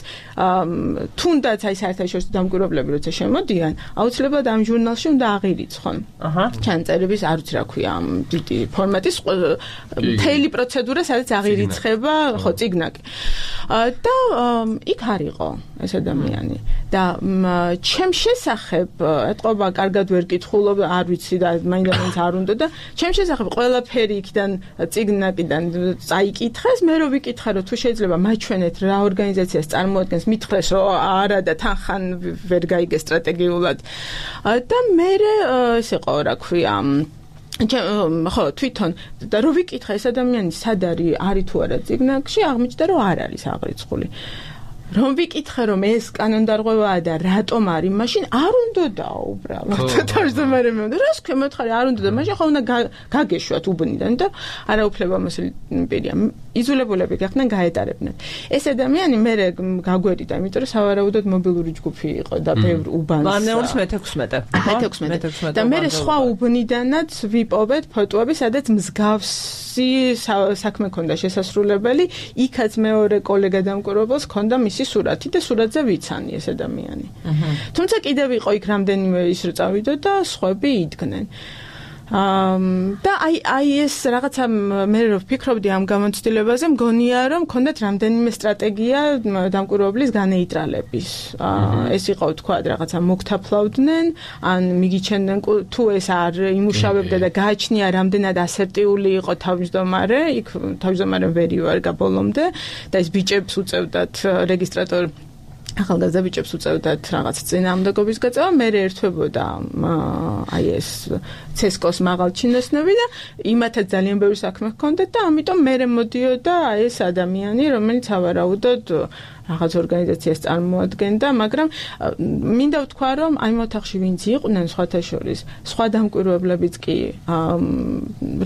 თუნდაც აი საერთაშორისო დამკვირვებლები როცა შემოდიან აუცილებლად ამ ჟურნალში უნდა აღირიცხონ აჰა ჩანწერების არ ვიცი რა ქვია ამ დიდი ფორმატის მთელი პროცედურა სადაც აღირიცხება ხო ციგნაკი და იქ არ იყო ეს ადამიანი და ჩემ შესახებ ეთყობა კარგად ვერ კითხულობ არ ვიცი და მაინც არ უნდა და ჩემ შესახებ ყველაფერი იქიდან ციგნაკიდან წაიკითხეს მე რო ვიკითხე რომ თუ შეიძლება მაჩვენეთ რა ორგანიზაციას წარმოადგენს მითხრეს რომ არა და თანხან ვერ გაიგე სტრატეგიულად და მე ეს იყო რა ქვია ხო თვითონ და რო ვიკითხე ეს ადამიანი სად არის არის თუ არა ციგნაკში აღმოჩნდა რომ არ არის აღრიცხული რომ ვიკითხე რომ ეს კანონდარღვევაა და რატომ არის მაშინ არ უნდოდა უბრალოდ თავმჯდომარე მე უნდა რას ქვია მოთხარი არ უნდოდა მაშინ ხო უნდა გაგეშვათ უბნიდან და არა უფლებამოსილი პირია იზოლებულები გახდნენ გაეტარებდნენ ეს ადამიანი მე გაგვერიდა იმიტომ რომ სავარაუდოდ მობილური ჯგუფი იყო და ბევრ უბანს ვარნეულის მეთექვსმეტე მეთექვსმეტე და მე სხვა უბნიდანაც ვიპოვეთ ფოტოები სადაც მსგავსი საქმე ქონდა შესასრულებელი იქაც მეორე კოლეგა დამკვირვებელს ქონდა მისი სურათი და სურათზე ვიცანი ეს ადამიანი. თუმცა კიდევ იყო იქ რამდენიმე ის რო წავიდო და სხვები იდგნენ. და აი აი ეს რაღაცა მე რო ვფიქრობდი ამ გამოცდილებაზე მგონია რომ მქონდათ რამდენიმე სტრატეგია დამკვირვებლის განეიტრალების. ეს იყო თქვა რაღაცა მოგთაფლავდნენ ან მიგიჩენდნენ თუ ეს არ იმუშავებდა და გააჩნია რამდენად ასერტიული იყო თავმჯდომარე იქ თავმჯდომარე ვერი ვარ გაბოლომდე და ეს ბიჭებს უწევდათ რეგისტრატორ ახალგაზრდა ბიჭებს უწევდათ რაღაც წინააღმდეგობის გაწევა მე ერთვებოდა აი ეს ცესკოს მაღალჩინოსნები და იმათაც ძალიან ბევრი საქმე ჰქონდათ და ამიტომ მე მოდიოდა ეს ადამიანი რომელიც ავარაუდოდ რაღაც ორგანიზაციას წარმოადგენდა მაგრამ მინდა ვთქვა რომ აი მოთახში ვინც იყვნენ სხვათა შორის სხვა დამკვირვებლებიც კი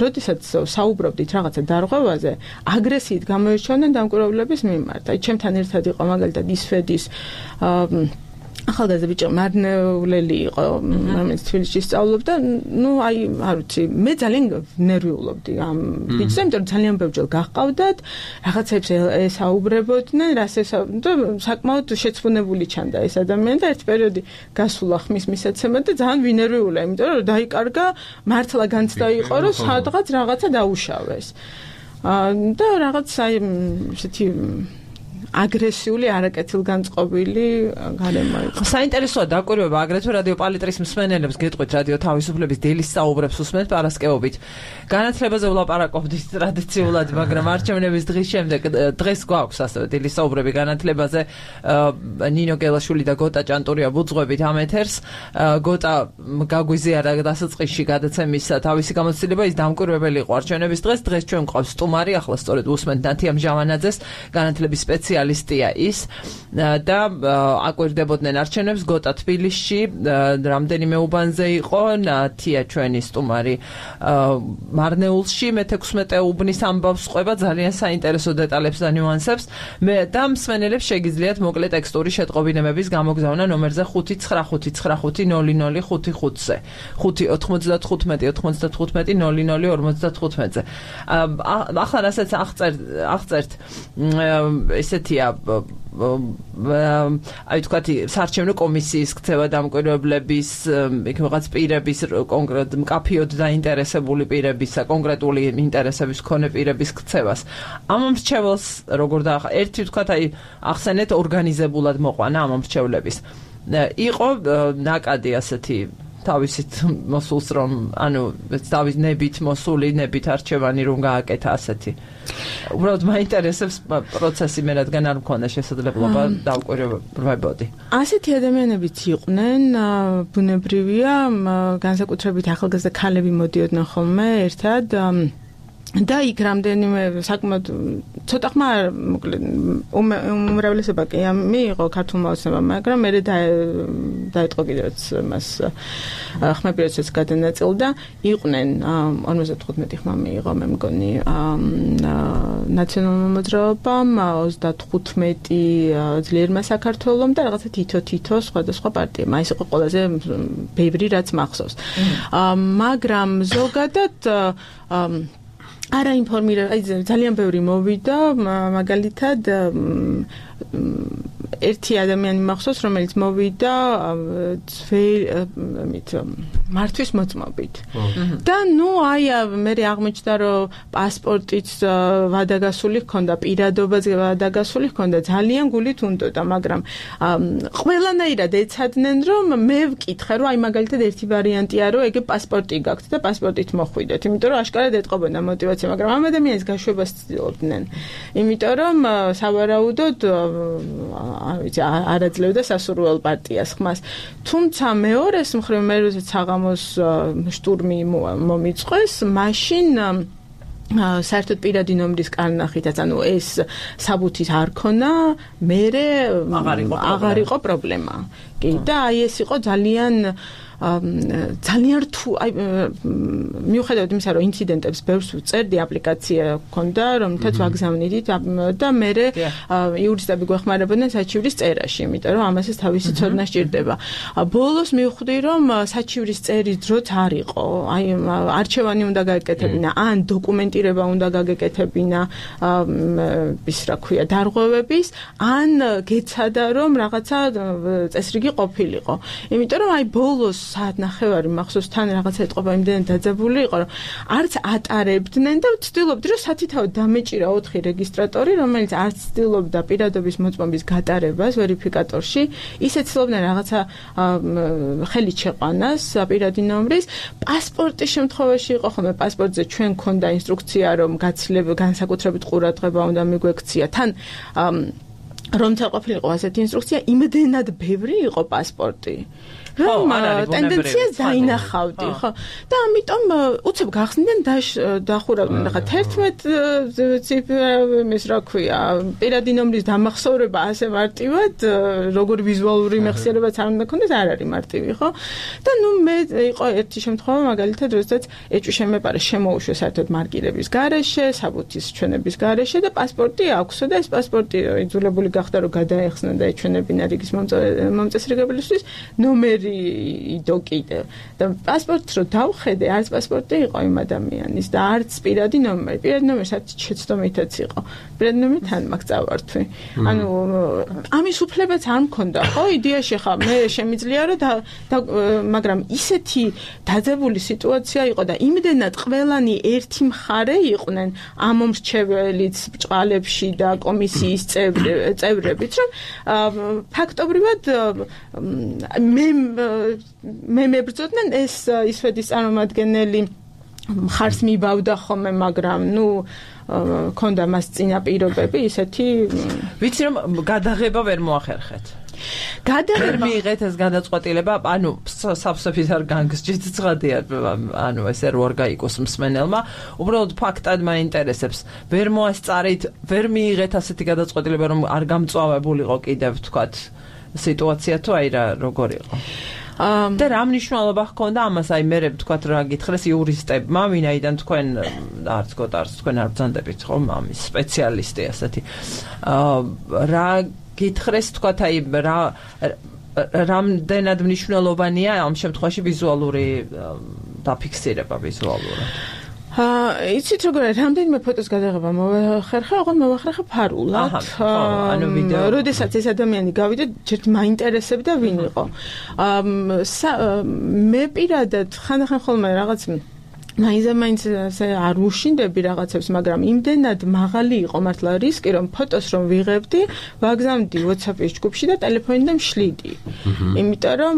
როდესაც საუბრობდით რაღაცა დარღვევაზე აგრესიით გამოირჩევდნენ დამკვირვებლების მიმართ აი ჩემთან ერთად იყო მაგალითად ისფედის ახალგაზრდა ბიჭი მარნეულელი იყო რომელიც თბილისში სწავლობდა ნუ აი არ ვიცი მე ძალიან ნერვიულობდი ამ ბიჭზე იმიტომ რომ ძალიან ბევრჯერ გაჰყავდათ რაღაცებს ესაუბრებოდნენ რასაც საკმაოდ შეცვენებული ჩანდა ეს ადამიანი და ერთ პერიოდი გასულა ხმის მისაცემად და ძალიან ვინერვიულა იმიტომ რომ დაიკარგა მართლა განცდა იყო რომ სადღაც რაღაცა დაუშავეს და რაღაც აი ესეთი აგრესიული არაკეთილგანწყობილი გარემო იყო. საინტერესოა დაკვირვება აგრეთვე რადიო პალიტრის მსმენელებს გეტყვით რადიო თავისუფლების დილის საუბრებს უსმენთ პარასკევობით. განათლებაზე ვლაპარაკობდით ტრადიციულად, მაგრამ არჩევნების დღის შემდეგ დღეს გვაქვს ასევე დილის საუბრები განათლებაზე. ნინო გელაშვილი და გოტა ჭანტურია ბუძღვებით ამ ეთერს. გოტა გაგვიზიარა დასაწყისში გადაცემის თავისი გამოცდილება ის დამკვირვებელი იყო არჩევნების დღეს. დღეს ჩვენ გვყავს სტუმარი, ახლა სწორედ უსმენთ ნათია მჟავანაძეს, განათლების სპეციალისტი სოციალისტია ის და აკვირდებოდნენ არჩევნებს გოტა თბილისში რამდენიმე უბანზე იყო თია ჩვენი სტუმარი მარნეულში მეთექვსმეტე უბნის ამბავს ყვება ძალიან საინტერესო დეტალებს და ნიუანსებს მე და მსმენელებს შეგიძლიათ მოკლე ტექსტური შეტყობინებების გამოგზავნა ნომერზე ხუთი ცხრა ხუთი ცხრა ხუთი ნული ნული ხუთი ხუთზე ხუთი ოთხმოცდათხუთმეტი ოთხმოცდათხუთმეტი ნული ნული ორმოცდათხუთმეტზე ახლა რასაც აღწერთ აღწერთ ესეთია აი თქვათი საარჩევნო კომისიის ქცევა დამკვირვებლების იქ რაღაც პირების კონკრეტ მკაფიოდ დაინტერესებული პირებისა კონკრეტული ინტერესების მქონე პირების ქცევას ამ მრჩეველს როგორ და ერთი თქვათ აი ახსენეთ ორგანიზებულად მოყვანა ამ მრჩევლების იყო ნაკადი ასეთი თავისით მოსულს რომ ანუ თავის ნებით მოსული ნებით არჩევანი რომ გააკეთა ასეთი უბრალოდ მაინტერესებს პროცესი მე რადგან არ მქონდა შესაძლებლობა დავკვირვებოდი ასეთი ადამიანებიც იყვნენ ბუნებრივია განსაკუთრებით ახალგაზრდა ქალები მოდიოდნენ ხოლმე ერთად და იქ რამდენიმე საკმაოდ ცოტა ხმა უმრავლესობა კი მიიღო ქართულმა ოცნებამ მაგრამ მე დაიწყო კიდევაც მას ხმები როდესაც გადანაწილდა იყვნენ ორმოცდათხუთმეტი ხმა მიიღო მე მგონი ნაციონალურმა მოძრაობამ ოცდათხუთმეტი ძლიერმა საქართველომ და რაღაცა თითო თითო სხვადასხვა პარტიამ აი ეს იყო ყველაზე ბევრი რაც მახსოვს მაგრამ ზოგადად არა ინფორმირება აი ძალიან ბევრი მოვიდა მაგალითად ერთი ადამიანი მახსოვს რომელიც მოვიდა ძვირით მართვის მოწმობით და ნუ აი მე აღმოჩნდა რომ პასპორტიც ვადაგასული ჰქონდა პირადობაც ვადაგასული ჰქონდა ძალიან გულით უნდოდა მაგრამ ყველანაირად ეცადნენ რომ მე ვკითხე რომ აი მაგალითად ერთი ვარიანტია რომ ეგ პასპორტი გაქვთ და პასპორტით მოხვიდეთ იმიტომ რომ აშკარად ეტყობოდა მოტივაცია მაგრამ ამ ადამიანის გაშვებას ცდილობდნენ იმიტომ რომ სავარაუდოდ არ ვიცი არაძლევდა სასურველ პარტიას ხმას თუმცა მეორეს მხრივ მე როდესაც საღამოს შტურმი მომიწყვეს მაშინ საერთოდ პირადი ნომრის კარნახითაც ანუ ეს საბუთის არ ქონა მერე აღარ იყო პრობლემა კი და აი ეს იყო ძალიან ძალიან რთულ აი მიუხედავად იმისა რომ ინციდენტებს ბევრს ვწერდი აპლიკაცია ჰქონდა რომლითაც ვაგზავნიდით და მე იურისტები გვეხმარებოდნენ საჩივრის წერაში იმიტომ რომ ამასაც თავისი ცოდნა სჭირდება ბოლოს მივხვდი რომ საჩივრის წერის დროც არ იყო აი არჩევანი უნდა გაეკეთებინა ან დოკუმენტირება უნდა გაგეკეთებინა ის რა ქვია დარღვევების ან გეცადა რომ რაღაცა წესრიგი ყოფილიყო იმიტომ რომ აი ბოლოს საათ ნახევარი მახსოვს თან რაღაცა ეთყობა იმდენად დაძაბული იყო რომ არც ატარებდნენ და ვცდილობდი რომ სათითაოდ დამეჭირა ოთხი რეგისტრატორი რომელიც არც ცდილობდა პირადობის მოწმობის გატარებას ვერიფიკატორში ისე ცდილობდნენ რაღაცა ხელით შეყვანას პირადი ნომრის პასპორტის შემთხვევაში იყო ხოლმე პასპორტზე ჩვენ ქონდა ინსტრუქცია რომ გაცილება განსაკუთრებით ყურადღება უნდა მიგვექცია თან რომცა ყოფილიყო ასეთი ინსტრუქცია იმდენად ბევრი იყო პასპორტი რომ ტენდენციას დაინახავდი ხო და ამიტომ უცებ გახსნიდან დახურავდნენ ხა თერთმეტ ციფრის რა ქვია პირადი ნომრის დამახსოვრება ასე მარტივად როგორ ვიზუალური მეხსიერებაც არ უნდა ქონდეს არ არის მარტივი ხო და ნუ მე იყო ერთი შემთხვევა მაგალითად როდესაც ეჭვი შემეპარა შემოუშვე საერთოდ მარკირების გარეშე საბუთის ჩვენების გარეშე და პასპორტი აქვსო და ეს პასპორტი იძულებული გახდა რომ გადაეხსნა და ეჩვენებინა რიგის მომწესრიგებლისთვის ნომერი იდო კიდევ და პასპორტს რო დავხედე არც პასპორტი იყო იმ ადამიანის და არც პირადი ნომერი პირადი ნომერი საერთოდ შეცდომითაც იყო პირადი ნომერი თან მაგ წავართვი ანუ ამის უფლებაც არ მქონდა ხო იდეაში ხა მე შემიძლია რომ მაგრამ ისეთი დაძაბული სიტუაცია იყო და იმდენად ყველანი ერთი მხარე იყვნენ ამ მრჩეველიც ბჭყალებში და კომისიის წევრებიც რომ ფაქტობრივად მე მე მებრძოდნენ ეს ისვედის წარმომადგენელი მხარს მიბავდა ხოლმე მაგრამ ნუ ქონდა მას წინაპირობები ისეთი ვიცი რომ გადაღება ვერ მოახერხეთ გადაერ მიიღეთ ეს გადაწყვეტილება, ანუ სავსებით არ განგსჯით ცხადია, ანუ ესე რო არ გაიგოს მსმენელმა, უბრალოდ ფაქტად მაინტერესებს. ვერ მოასწარით, ვერ მიიღეთ ასეთი გადაწყვეტილება, რომ არ გამწვავებულიყო კიდევ თქვათ სიტუაცია თუ აი რა როგორ იყო. და რა მნიშვნელობა ჰქონდა ამას, აი მე ვთქვათ რა გითხრეს იურისტებმა, ვინაიდან თქვენ არც გოტარს თქვენ არ ბრძანდებით ხომ ამის სპეციალისტი ასეთი. რა გითხრეს თქვათ აი რა რამდენად მნიშვნელოვანია ამ შემთხვევაში ვიზუალური დაფიქსირება ვიზუალურად. აა იცით როგორ არის რამდენიმე ფოტოს გადაღება მოვახერხა, ოღონდ მოვახერხა ფარულად. ანუ ვიდეო. როდესაც ეს ადამიანი გავიდა, ჯერ მაინტერესებდა ვინ იყო. აა მე პირადად ხანდახან ხოლმე რაღაც მაინც არ უშინდები რაღაცებს, მაგრამ იმდენად მაღალი იყო მართლა რისკი, რომ ფოტოს რომ ვიღებდი, ვაგზავნდი WhatsApp-ის ჯგუფში და ტელეფონიდან შლიდი. იმიტომ რომ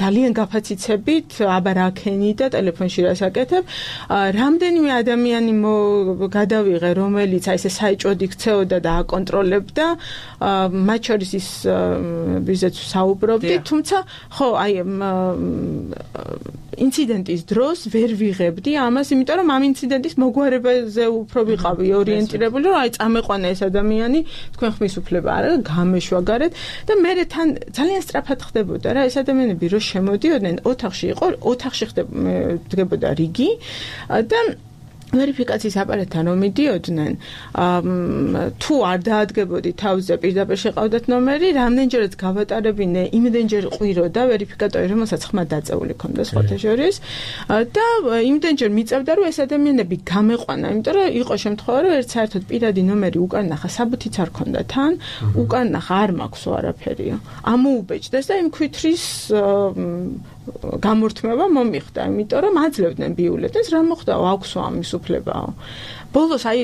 ძალიან გაფაციცებით, აბა რა ქენი და ტელეფონში რა საკეთებ. რამდენიმე ადამიანი გადავიღე, რომელიც აი ესე საეჭვოდ იქცეოდა და აკონტროლებდა, მათ შორის ის ვიზეც საუბრობდი, თუმცა ხო, აი ინციდენტის დროს ვერ ვიღებდი ამას, იმიტომ რომ ამ ინციდენტის მოგვარებაზე უფრო ვიყავი ორიენტირებული, რომ აი წამეყვანა ეს ადამიანი, თქვენ ხმის უფლება არა, გამეშვაგარეთ და მე თან ძალიან სწრაფად ხდებოდა რა, ეს ადამიანები რო შემოდიოდნენ, ოთახში იყო, ოთახში ხდებოდა რიგი და ვერიფიკაციის აპარატთან რომ მიდიოდნენ, თუ არ დაადგებოდი თავზე პირდაპირ შეყავდათ ნომერი, რამდენჯერაც გავატარებინე, იმდენჯერ ყვიროდა ვერიფიკატორი, რომელსაც ხმა დაწეული ქონდა სხვათა შორის და იმდენჯერ მიწევდა, რომ ეს ადამიანები გამეყვანა, იმიტომ რომ იყო შემთხვევა, რომ ერთ საერთოდ პირადი ნომერი უკან ნახა, საბუთიც არ ქონდა თან, უკან ნახა არ მაქვსო არაფერია. ამოუბეჭდეს და იმ ქვითრის გამორთმევა მომიხდა, იმიტომ რომ აძლევდნენ ბიულეტენს, რა მოხდა, აქვსო ამის უფლებაო. ბოლოს აი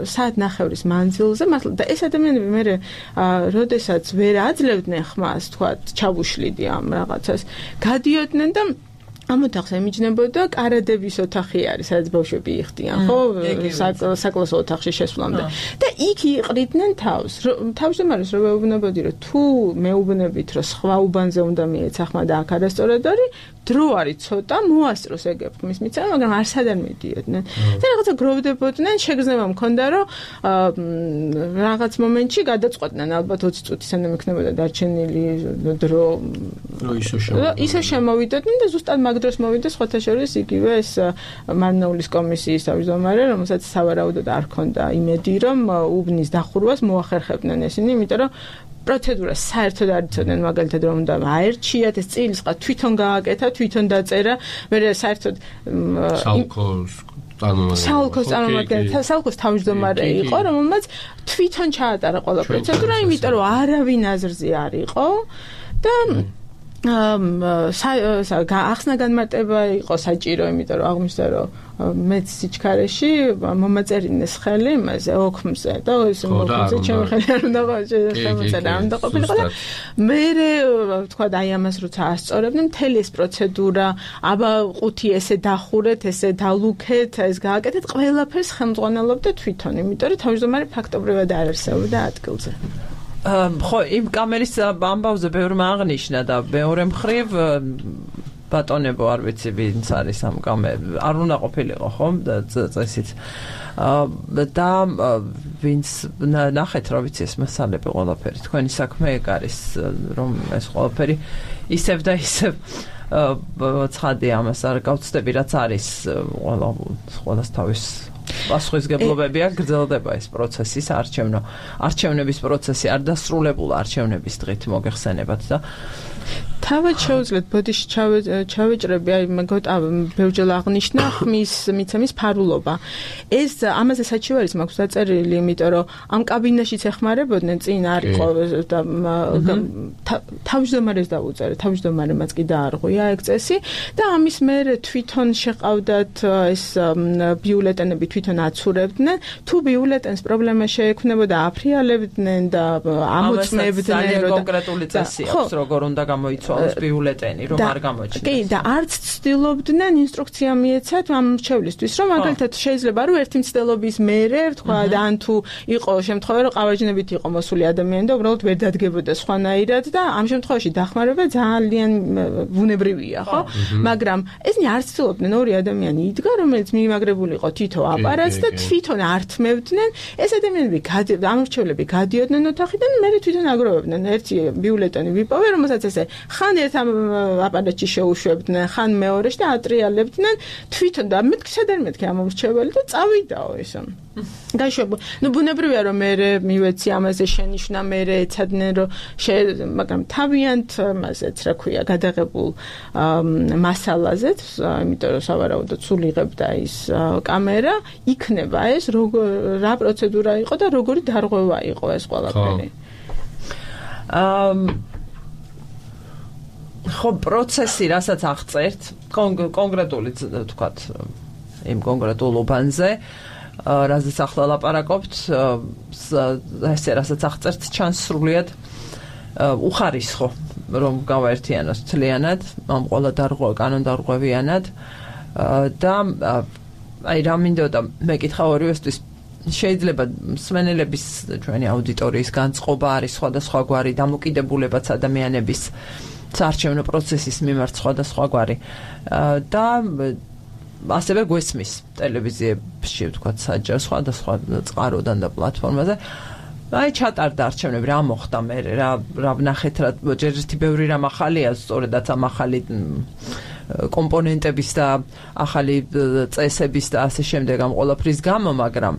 საათ ნახევრის მანძილზე, მართლა და ეს ადამიანები მე როდესაც ვერ აძლევდნენ ხმას, თქვა, ჩავუშლიდი ამ რაღაცას, გადიოდნენ და ამ ოთახს ემიჯნებოდა კარადების ოთახი არის, სადაც ბავშვები იხდიან, ხო, საკლასო ოთახში შესვლამდე. და იქ იყრიდნენ თავს. თავმჯდომარეს რომ მეუბნებოდი, რომ თუ მეუბნებით, რომ სხვა უბანზე უნდა მიეცა ხმა და აქ არასწორად არის, დრო არის ცოტა, მოასწროს ეგ ხმის მიცემა, მაგრამ არსად არ მიდიოდნენ. და რაღაცა გროვდებოდნენ, შეგრძნება მქონდა, რომ რაღაც მომენტში გადაწყვეტდნენ, ალბათ ოცი წუთი სანამ იქნებოდა დარჩენილი დრო, ისე შემოვიდოდნენ და ზუსტად მაგ დროს მოვიდა სხვათა შორის იგივე ეს მარნაულის კომისიის თავმჯდომარე, რომელსაც სავარაუდოდ არ ჰქონდა იმედი, რომ უბნის დახურვას მოახერხებდნენ ესენი, იმიტომ რომ პროცედურას საერთოდ არ იცოდნენ, მაგალითად რომ უნდა აერჩიათ, ეს წილსყა თვითონ გააკეთა, თვითონ დაწერა, მე საერთოდ საალკოს საალკოს წარმომადგენელი, საალკოს თავმჯდომარე იყო, რომელმაც თვითონ ჩაატარა ყველა პროცედურა, იმიტომ რომ არავინ აზრზე არ იყო და ახსნა განმარტება იყო საჭირო, იმიტომ რომ აღმოჩნდა, რომ მეც სიჩქარეში მომაწერინეს ხელი იმაზე ოქმზე და ის მოხდა ჩემი ხელი არ უნდა შემოწერა, არ უნდა ყოფილიყო და მე თქვა აი ამას როცა ასწორებდნენ, მთელი ეს პროცედურა, აბა ყუთი ესე დახურეთ, ესე დალუქეთ, ეს გააკეთეთ, ყველაფერს ხელმძღვანელობდა თვითონ, იმიტომ რომ თავმჯდომარე ფაქტობრივად არ არსებობდა ადგილზე. ხო, იმ კამერის ამბავზე ბევრმა აღნიშნა და მეორე მხრივ ბატონებო არ ვიცი ვინც არის ამ კამერა, არ უნდა ყოფილიყო ხომ და წესით. და ვინც ნახეთ რა ვიცი ეს მასალები ყველაფერი, თქვენი საქმე ეგ არის, რომ ეს ყველაფერი ისევ და ისევ ცხადია, ამას არ გავცდები, რაც არის ყველა ყველას თავის პასუხისგებლობები აქვს, გრძელდება ეს პროცესი, არჩევნო არჩევნების პროცესი არ დასრულებულა არჩევნების დღით მოგეხსენებათ და თავად შეუძლიათ ბოდიში ჩავეჭრები, აი მეგონა ბევრჯერ აღნიშნა ხმის მიცემის ფარულობა. ეს ამაზე საჩივარის მაქვს დაწერილი, იმიტომ რომ ამ კაბინაშიც ეხმარებოდნენ, წინ არ იყო და თავმჯდომარეს დაუწერე, თავმჯდომარემაც კი დაარღვია ეგ წესი და ამის მერე თვითონ შეყავდათ ეს ბიულეტენები თვითონ აცურებდნენ, თუ ბიულეტენს პრობლემა შეექმნებოდა, აფრიალებდნენ და ამოწმებდნენ, რომ კონკრეტული წესი აქვს, როგორ უნდა გამოიცვალოს მრჩეველს ბიულეტენი რომ არ გამოჩნდეს. კი, და არც ცდილობდნენ ინსტრუქცია მიეცათ ამ მრჩევლისთვის, რომ მაგალითად შეიძლება რომ ერთი მცდელობის მერე, თქვა და ან თუ იყო შემთხვევა რომ ყავაჯნებით იყო მოსული ადამიანი და უბრალოდ ვერ დადგებოდა სხვანაირად და ამ შემთხვევაში დახმარება ძალიან ბუნებრივია, ხო? მაგრამ ესნი არ ცდილობდნენ ორი ადამიანი იდგა, რომელიც მიმაგრებული იყო თითო აპარატს და თვითონ ართმევდნენ, ეს ადამიანები ამ მრჩევლები გადიოდნენ ოთახიდან, მერე თვითონ აგროვებდნენ. ერთი ბიულეტენი ვიპოვე, რომელსაც ესე ხან ერთ აპარატში შეუშვებდნენ, ხან მეორეში და ატრიალებდნენ თვითონ და მეთქი სადარ მეთქი ამ მრჩეველი და წავიდაო ესა. გაიშვება. ნუ ბუნებრივია რომ მე მივეცი ამაზე შენიშვნა, მე ეცადნენ რომ მაგრამ თავიანთ მასეც რა ქვია გადაღებულ მასალაზეც, იმიტომ რომ სავარაუდოდ სულ იღებდა ის კამერა, იქნება ეს რა პროცედურა იყო და როგორი დარღვევა იყო ეს ყველაფერი. ხო, პროცესი, რასაც აღწერთ, კონკრეტული თქვათ იმ კონკრეტულ უბანზე, რაზეც ახლა ლაპარაკობთ, ესე რასაც აღწერთ, ჩანს სრულიად უხარისხო, რომ გავაერთიანოს მთლიანად, ამ ყველა დარღვევა კანონდარღვევიანად და აი რა მინდოდა მეკითხა ორივესთვის შეიძლება მსმენელების ჩვენი აუდიტორიის განწყობა არის სხვადასხვაგვარი, დამოკიდებულებაც ადამიანების საარჩევნო პროცესის მიმართ სხვადასხვაგვარი და ასევე გვესმის ტელევიზიებში ვთქვათ საჯარო სხვადასხვა წყაროდან და პლატფორმაზე. აი ჩატარდა არჩევნები, რა მოხდა მე რა რა ვნახეთ, რა ჯერ ერთი ბევრი რამ ახალია, სწორედაც ამ ახალი კომპონენტების და ახალი წესების და ასე შემდეგ ამ ყველაფრის გამო, მაგრამ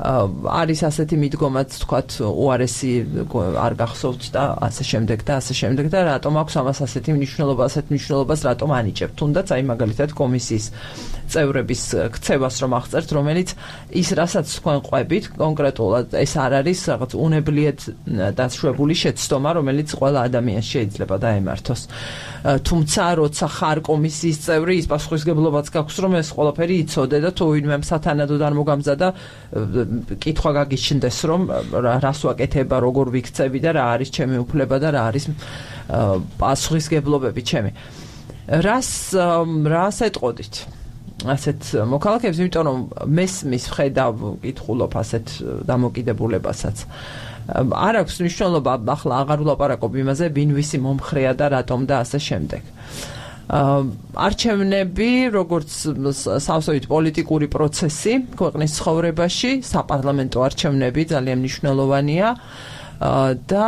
არის ასეთი მიდგომაც თქვათ უარესი არ გახსოვთ და ასე შემდეგ და ასე შემდეგ და რატომ აქვს ამას ასეთი მნიშვნელობა, ასეთ მნიშვნელობას რატომ ანიჭებთ, თუნდაც აი მაგალითად კომისიის წევრების ქცევას რომ აღწერთ, რომელიც ის რასაც თქვენ ყვებით კონკრეტულად ეს არ არის რაღაც უნებლიეთ დაშვებული შეცდომა, რომელიც ყველა ადამიანს შეიძლება დაემართოს. თუმცა როცა ხარ კომისიის წევრი, ის პასუხისგებლობაც გაქვს, რომ ეს ყველაფერი იცოდე და თუ ვინმე სათანადოდ არ მოგამზადა კითხვა გაგიჩნდეს, რომ რას ვაკეთება, როგორ ვიქცევი და რა არის ჩემი უფლება და რა არის პასუხისგებლობები ჩემი. რას რას ეტყოდით? ასეთ მოქალაქეებს, იმიტომ რომ მესმის ვხედავ, კითხულობ ასეთ დამოკიდებულებასაც. არ აქვს მნიშვნელობა, ახლა აღარ ვლაპარაკობ იმაზე, ვინ ვისი მომხრეა და რატომ და ასე შემდეგ. არჩევნები, როგორც სავსებით პოლიტიკური პროცესი ქვეყნის ცხოვრებაში, საპარლამენტო არჩევნები ძალიან მნიშვნელოვანია და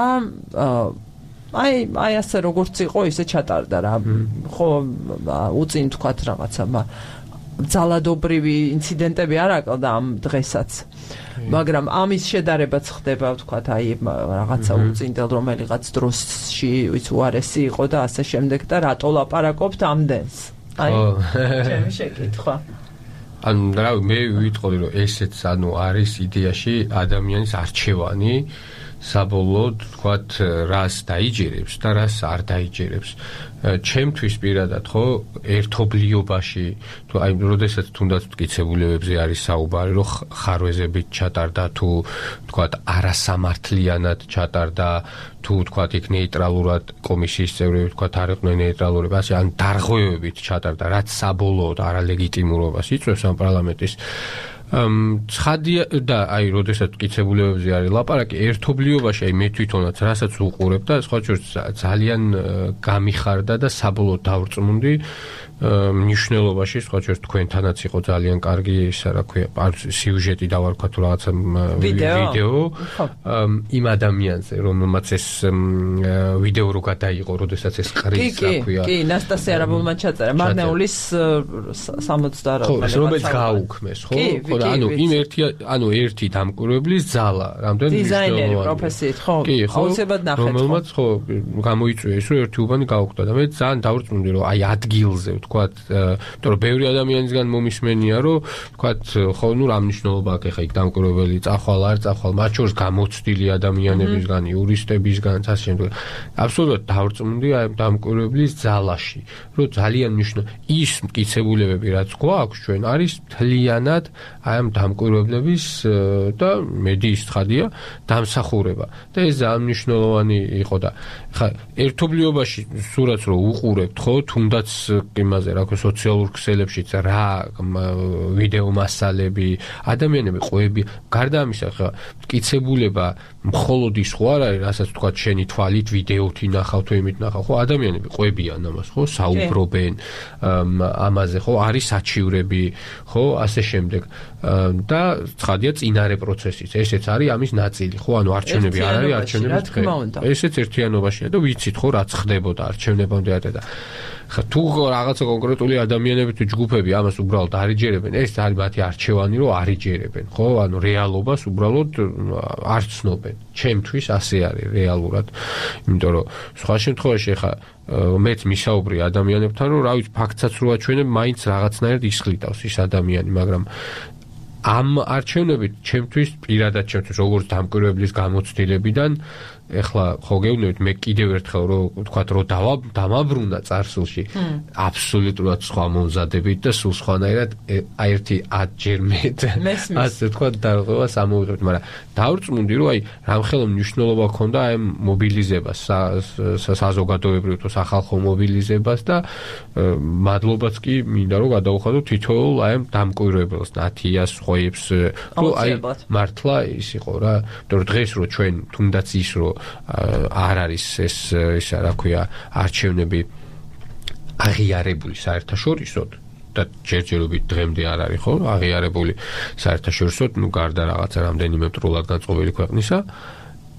აი აი ასე როგორც იყო, ისე ჩატარდა რა. ხო, უწინ თქვათ რაღაცა, ძალადობრივი ინციდენტები არ აკლდა ამ დღესაც. მაგრამ ამის შედარებაც ხდება, ვთქვათ, აი რაღაცა უწინდელ რომელიღაც დროში, ვიც უარესი იყო და ასე შემდეგ და რატო ლაპარაკობთ ამდენს? აი, ჩემი შეკითხვა. ანუ რა მე ვიტყოდი, რომ ესეც ანუ არის იდეაში ადამიანის არჩევანი, საბოლოოდ ვთქვათ, რას დაიჯერებს და რას არ დაიჯერებს. ჩემთვის პირადად ხო ერთობლიობაში, თუ აი როდესაც თუნდაც მტკიცებულებებზე არის საუბარი, რომ ხარვეზებით ჩატარდა თუ ვთქვათ არასამართლიანად ჩატარდა, თუ ვთქვათ იქ ნეიტრალურად კომისიის წევრები ვთქვათ არ იყვნენ ნეიტრალურები, ასე ან დარღვევებით ჩატარდა, რაც საბოლოოდ არალეგიტიმურობას იწვევს ამ პარლამენტის ცხადია და აი როდესაც მტკიცებულებებზე არის ლაპარაკი, ერთობლიობაში აი მე თვითონაც რასაც უყურებ და სხვა შორის ძალიან გამიხარდა და საბოლოოდ დავრწმუნდი მნიშვნელობაში, სხვა შორის თქვენთანაც იყო ძალიან კარგი ისა რა ქვია, სიუჟეტი დავარქვა თუ რაღაცა ვიდეო იმ ადამიანზე, რომელმაც ეს ვიდეო რო გადაიღო, როდესაც ეს ყრის რა ქვია. კი, კი, ნასტასია რაბოლმა ჩაწერა, მარნეულის სამოცდაოთხ რომელიც გააუქმეს, ხო? ხო, ანუ იმ ერთი, ანუ ერთი დამკვირვებლის ძალა, რამდენი დიზაინერი პროფესიით, ხო? აუცილებლად ნახეთ. რომელმაც ხო გამოიწვია ის, რომ ერთი უბანი გაუქმდა და მე ძალიან დავრწმუნდი, რომ აი ადგილზე ვთქვათ, იმიტომ რომ ბევრი ადამიანისგან მომისმენია, რომ ვთქვათ, ხო, ნუ რა მნიშვნელობა აქვს ახლა იქ დამკვირვებელი წახვალ არ წახვალ, მათ შორის გამოცდილი ადამიანებისგან, იურისტებისგან, ასე შემდეგ. აბსოლუტურად დავრწმუნდი აი დამკვირვებლის ძალაში, რომ ძალიან მნიშვნელოვანი ის მტკიცებულებები, რაც გვაქვს ჩვენ, არის მთლიანად აი ამ დამკვირვებლების და მედიის ცხადია დამსახურება. და ეს ძალიან მნიშვნელოვანი იყო და ხა ერთობლიობაში სურათს რო უყურებთ ხო თუნდაც იმაზე რა ქვია სოციალურ ქსელებშიც რა ვიდეო მასალები ადამიანები ყვები გარდა ამისა ხა მტკიცებულება მხოლოდ ის ხო არ არის რასაც თქვა შენი თვალით ვიდეოთი ნახავ თუ იმით ნახავ ხო ადამიანები ყვებიან ამას ხო საუბრობენ ამაზე ხო არის საჩივრები ხო ასე შემდეგ და ცხადია წინარე პროცესიც ესეც არის ამის ნაწილი ხო ანუ არჩევნები არ არის არჩევნების დღე ესეც ერთიანობაშია და ვიცით ხო რაც ხდებოდა არჩევნებამდე და ხა თუ რაღაცა კონკრეტული ადამიანები თუ ჯგუფები ამას უბრალოდ არიჯერებენ ეს არის მათი არჩევანი რომ არიჯერებენ ხო ანუ რეალობას უბრალოდ არ ცნობენ ჩემთვის ასე არის რეალურად იმიტომ რომ სხვა შემთხვევაში ხა მეც მისაუბრე ადამიანებთან რომ რა ვიცი ფაქტსაც რო აჩვენებ მაინც რაღაცნაირად ისხლიტავს ის ადამიანი მაგრამ ამ არჩევნებით ჩემთვის პირადად ჩემთვის როგორც დამკვირვებლის გამოცდილებიდან ეხლა ხო გეუბნებით მე კიდევ ერთხელ რომ ვთქვათ რომ დამაბრუნა წარსულში აბსოლუტურად სხვა მომზადებით და სულ სხვანაირად აი ერთი ათჯერ მეტ ასე ვთქვათ დარღვევას ამოვიღებთ მაგრამ დავრწმუნდი რომ აი რამხელა მნიშვნელობა ჰქონდა აი მობილიზებას საზოგადოებრივ თუ სახალხო მობილიზებას და მადლობაც კი მინდა რომ გადავუხადო თითოეულ აი დამკვირვებელს ნათიას ხვეებს რომ აი მართლა ის იყო რა იმიტომ რომ დღეს რო ჩვენ თუნდაც ის რომ არ არის ეს ისა რა ქვია არჩევნები აღიარებული საერთაშორისოდ და ჯერჯერობით დღემდე არ არის ხო აღიარებული საერთაშორისოდ ნუ გარდა რაღაცა რამდენიმე მტრულად განწყობილი ქვეყნისა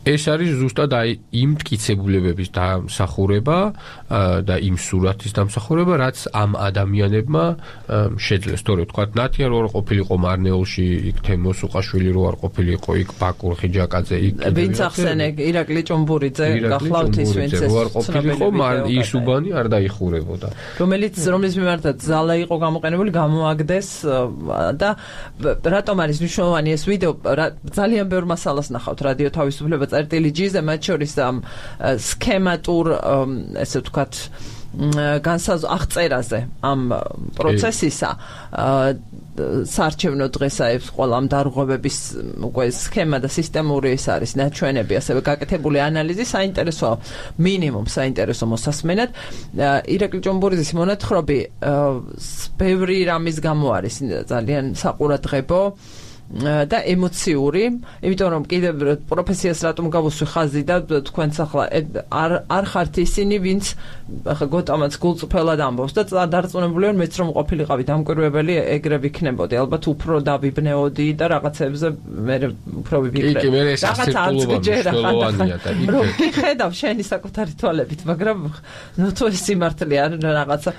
ეს არის ზუსტად აი იმ მტკიცებულებების დამსახურება და იმ სურათის დამსახურება რაც ამ ადამიანებმა შეძლეს თორე თქვა ნათია რო არ ყოფილიყო მარნეულში იქ თემო სუყაშვილი რო არ ყოფილიყო იქ ბაკურ ხიჯაკაძე იქ ვინც ახსენე ირაკლი ჭუმბურიძე გახლავთ ის ვინც რო არ ყოფილიყო ისუბანი არ დაიხურებოდა რომელიც რომლის მიმართაც ზალა იყო გამოყენებული გამოაგდეს და რატომ არის მნიშვნელოვანი ეს ვიდეო ძალიან ბევრ მასალას ნახავთ რადიო თავისუფლება წერტილი ჯიზე მათ შორის ამ სქემატურ ესე ვთქვათ განსაზღვრ აღწერაზე ამ პროცესისა საარჩევნო დღესაებს ყველა ამ დარღვევების უკვე სქემა და სისტემური ის არის ნაჩვენები ასევე გაკეთებული ანალიზი საინტერესო მინიმუმ საინტერესო მოსასმენად ირაკლი ჭუმბურიძის მონათხრობი ბევრი რამის გამო არის ძალიან საყურადღებო და ემოციური, იმიტომ რომ კიდევ პროფესიას რატომ გავუსვი ხაზი და თქვენც ახლა არ არ ხართ ისინი, ვინც ახლა გოტამაც გულწრფელად ამბობს და დარწმუნებული ვარ მეც რომ ყოფილიყავი დამკვირვებელი ეგრე ვიქნებოდი, ალბათ უფრო დავიბნეოდი და რაღაცებზე მე უფრო ვიფიქრე. კი, კი, მე ეს ასერტულობა მნიშვნელოვანია და რომ ხედავ შენი საკუთარი თვალებით, მაგრამ ნუ თუ ეს სიმართლე არ რაღაცა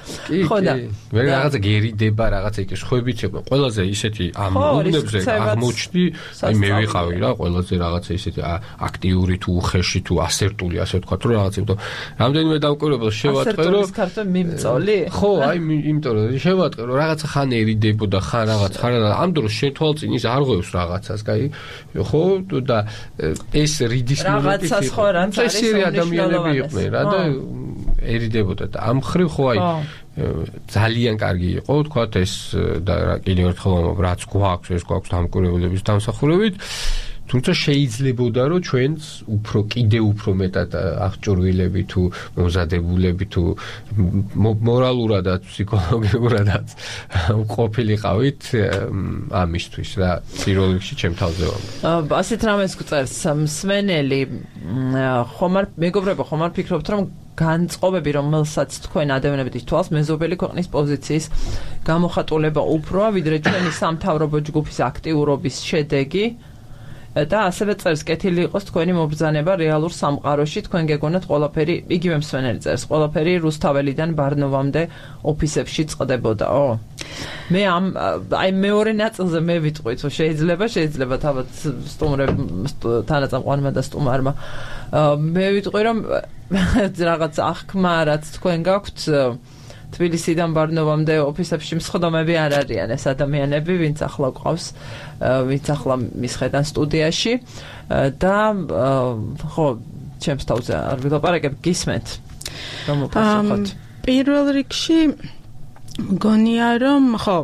ხო და მე რაღაცა გერიდება, რაღაცა იქ ხვებიც ეყო. ყველაზე ისეთი ამ უნდებზე აღმოჩნდი, აი მე ვიყავი რა, ყველაზე რაღაცა ისეთი აქტიური თუ უხეში თუ ასერტული, ასე ვთქვათ, რომ რაღაცა, იმიტომ რამდენიმე დამკვირვებელს შევატყე, რომ ასერტულის ქართული მიმწოლი? ხო, აი იმიტომ რომ შევატყე, რომ რაღაცა ხან ერიდებოდა, ხან რაღაც, ხან ამ დროს შეთვალწინ ის არ ღვევს რაღაცას, კაი? ხო, და ეს რიდის მომენტი რაღაცას ხო რანც არის ადამიანები იყვნენ რა და ერიდებოდა და ამ ხრივ ხო აი ძალიან კარგი იყო, თქვათ ეს და კიდევ ერთხელ ვამბობ, რაც გვაქვს, ეს გვაქვს დამკვირვებლების დამსახურებით, თუმცა შეიძლებოდა რომ ჩვენც უფრო კიდევ უფრო მეტად აღჭურვილები თუ მომზადებულები თუ მორალურადაც, ფსიქოლოგიურადაც ყოფილიყავით ამისთვის რა, პირველ რიგში ჩემ თავზე ვამბობ. ასეთ რამეს გვწერს მსმენელი, ხომ არ მეგობრებო, ხომ არ ფიქრობთ რომ განწყობები, რომელსაც თქვენ ადევნებით თვალს, მეზობელი ქვეყნის პოზიციის გამოხატულება უფროა, ვიდრე ჩვენი სამთავრობო ჯგუფის აქტიურობის შედეგი და ასევე წერს კეთილი იყოს თქვენი მობრძანება რეალურ სამყაროში, თქვენ გეგონათ ყველაფერი, იგივე მსმენელი წერს, ყველაფერი რუსთაველიდან ბარნოვამდე ოფისებში წყდებოდაო. მე ამ აი მეორე ნაწილზე მე ვიტყვით, რომ შეიძლება, შეიძლება თავად სტუმრებ თანაწამყვანმა და სტუმარმა მე ვიტყვი, რომ რაღაც აღქმა, რაც თქვენ გაქვთ თბილისიდან ბარნოვამდე ოფისებში მსხდომები არ არიან ეს ადამიანები, ვინც ახლა ყავს, ვინც ახლა მისხედან სტუდიაში და ხო, ჩემს თავზე არ ვილაპარაკებ, გისმენთ. რომ უპასუხოთ. პირველ რიგში მგონია რომ ხო,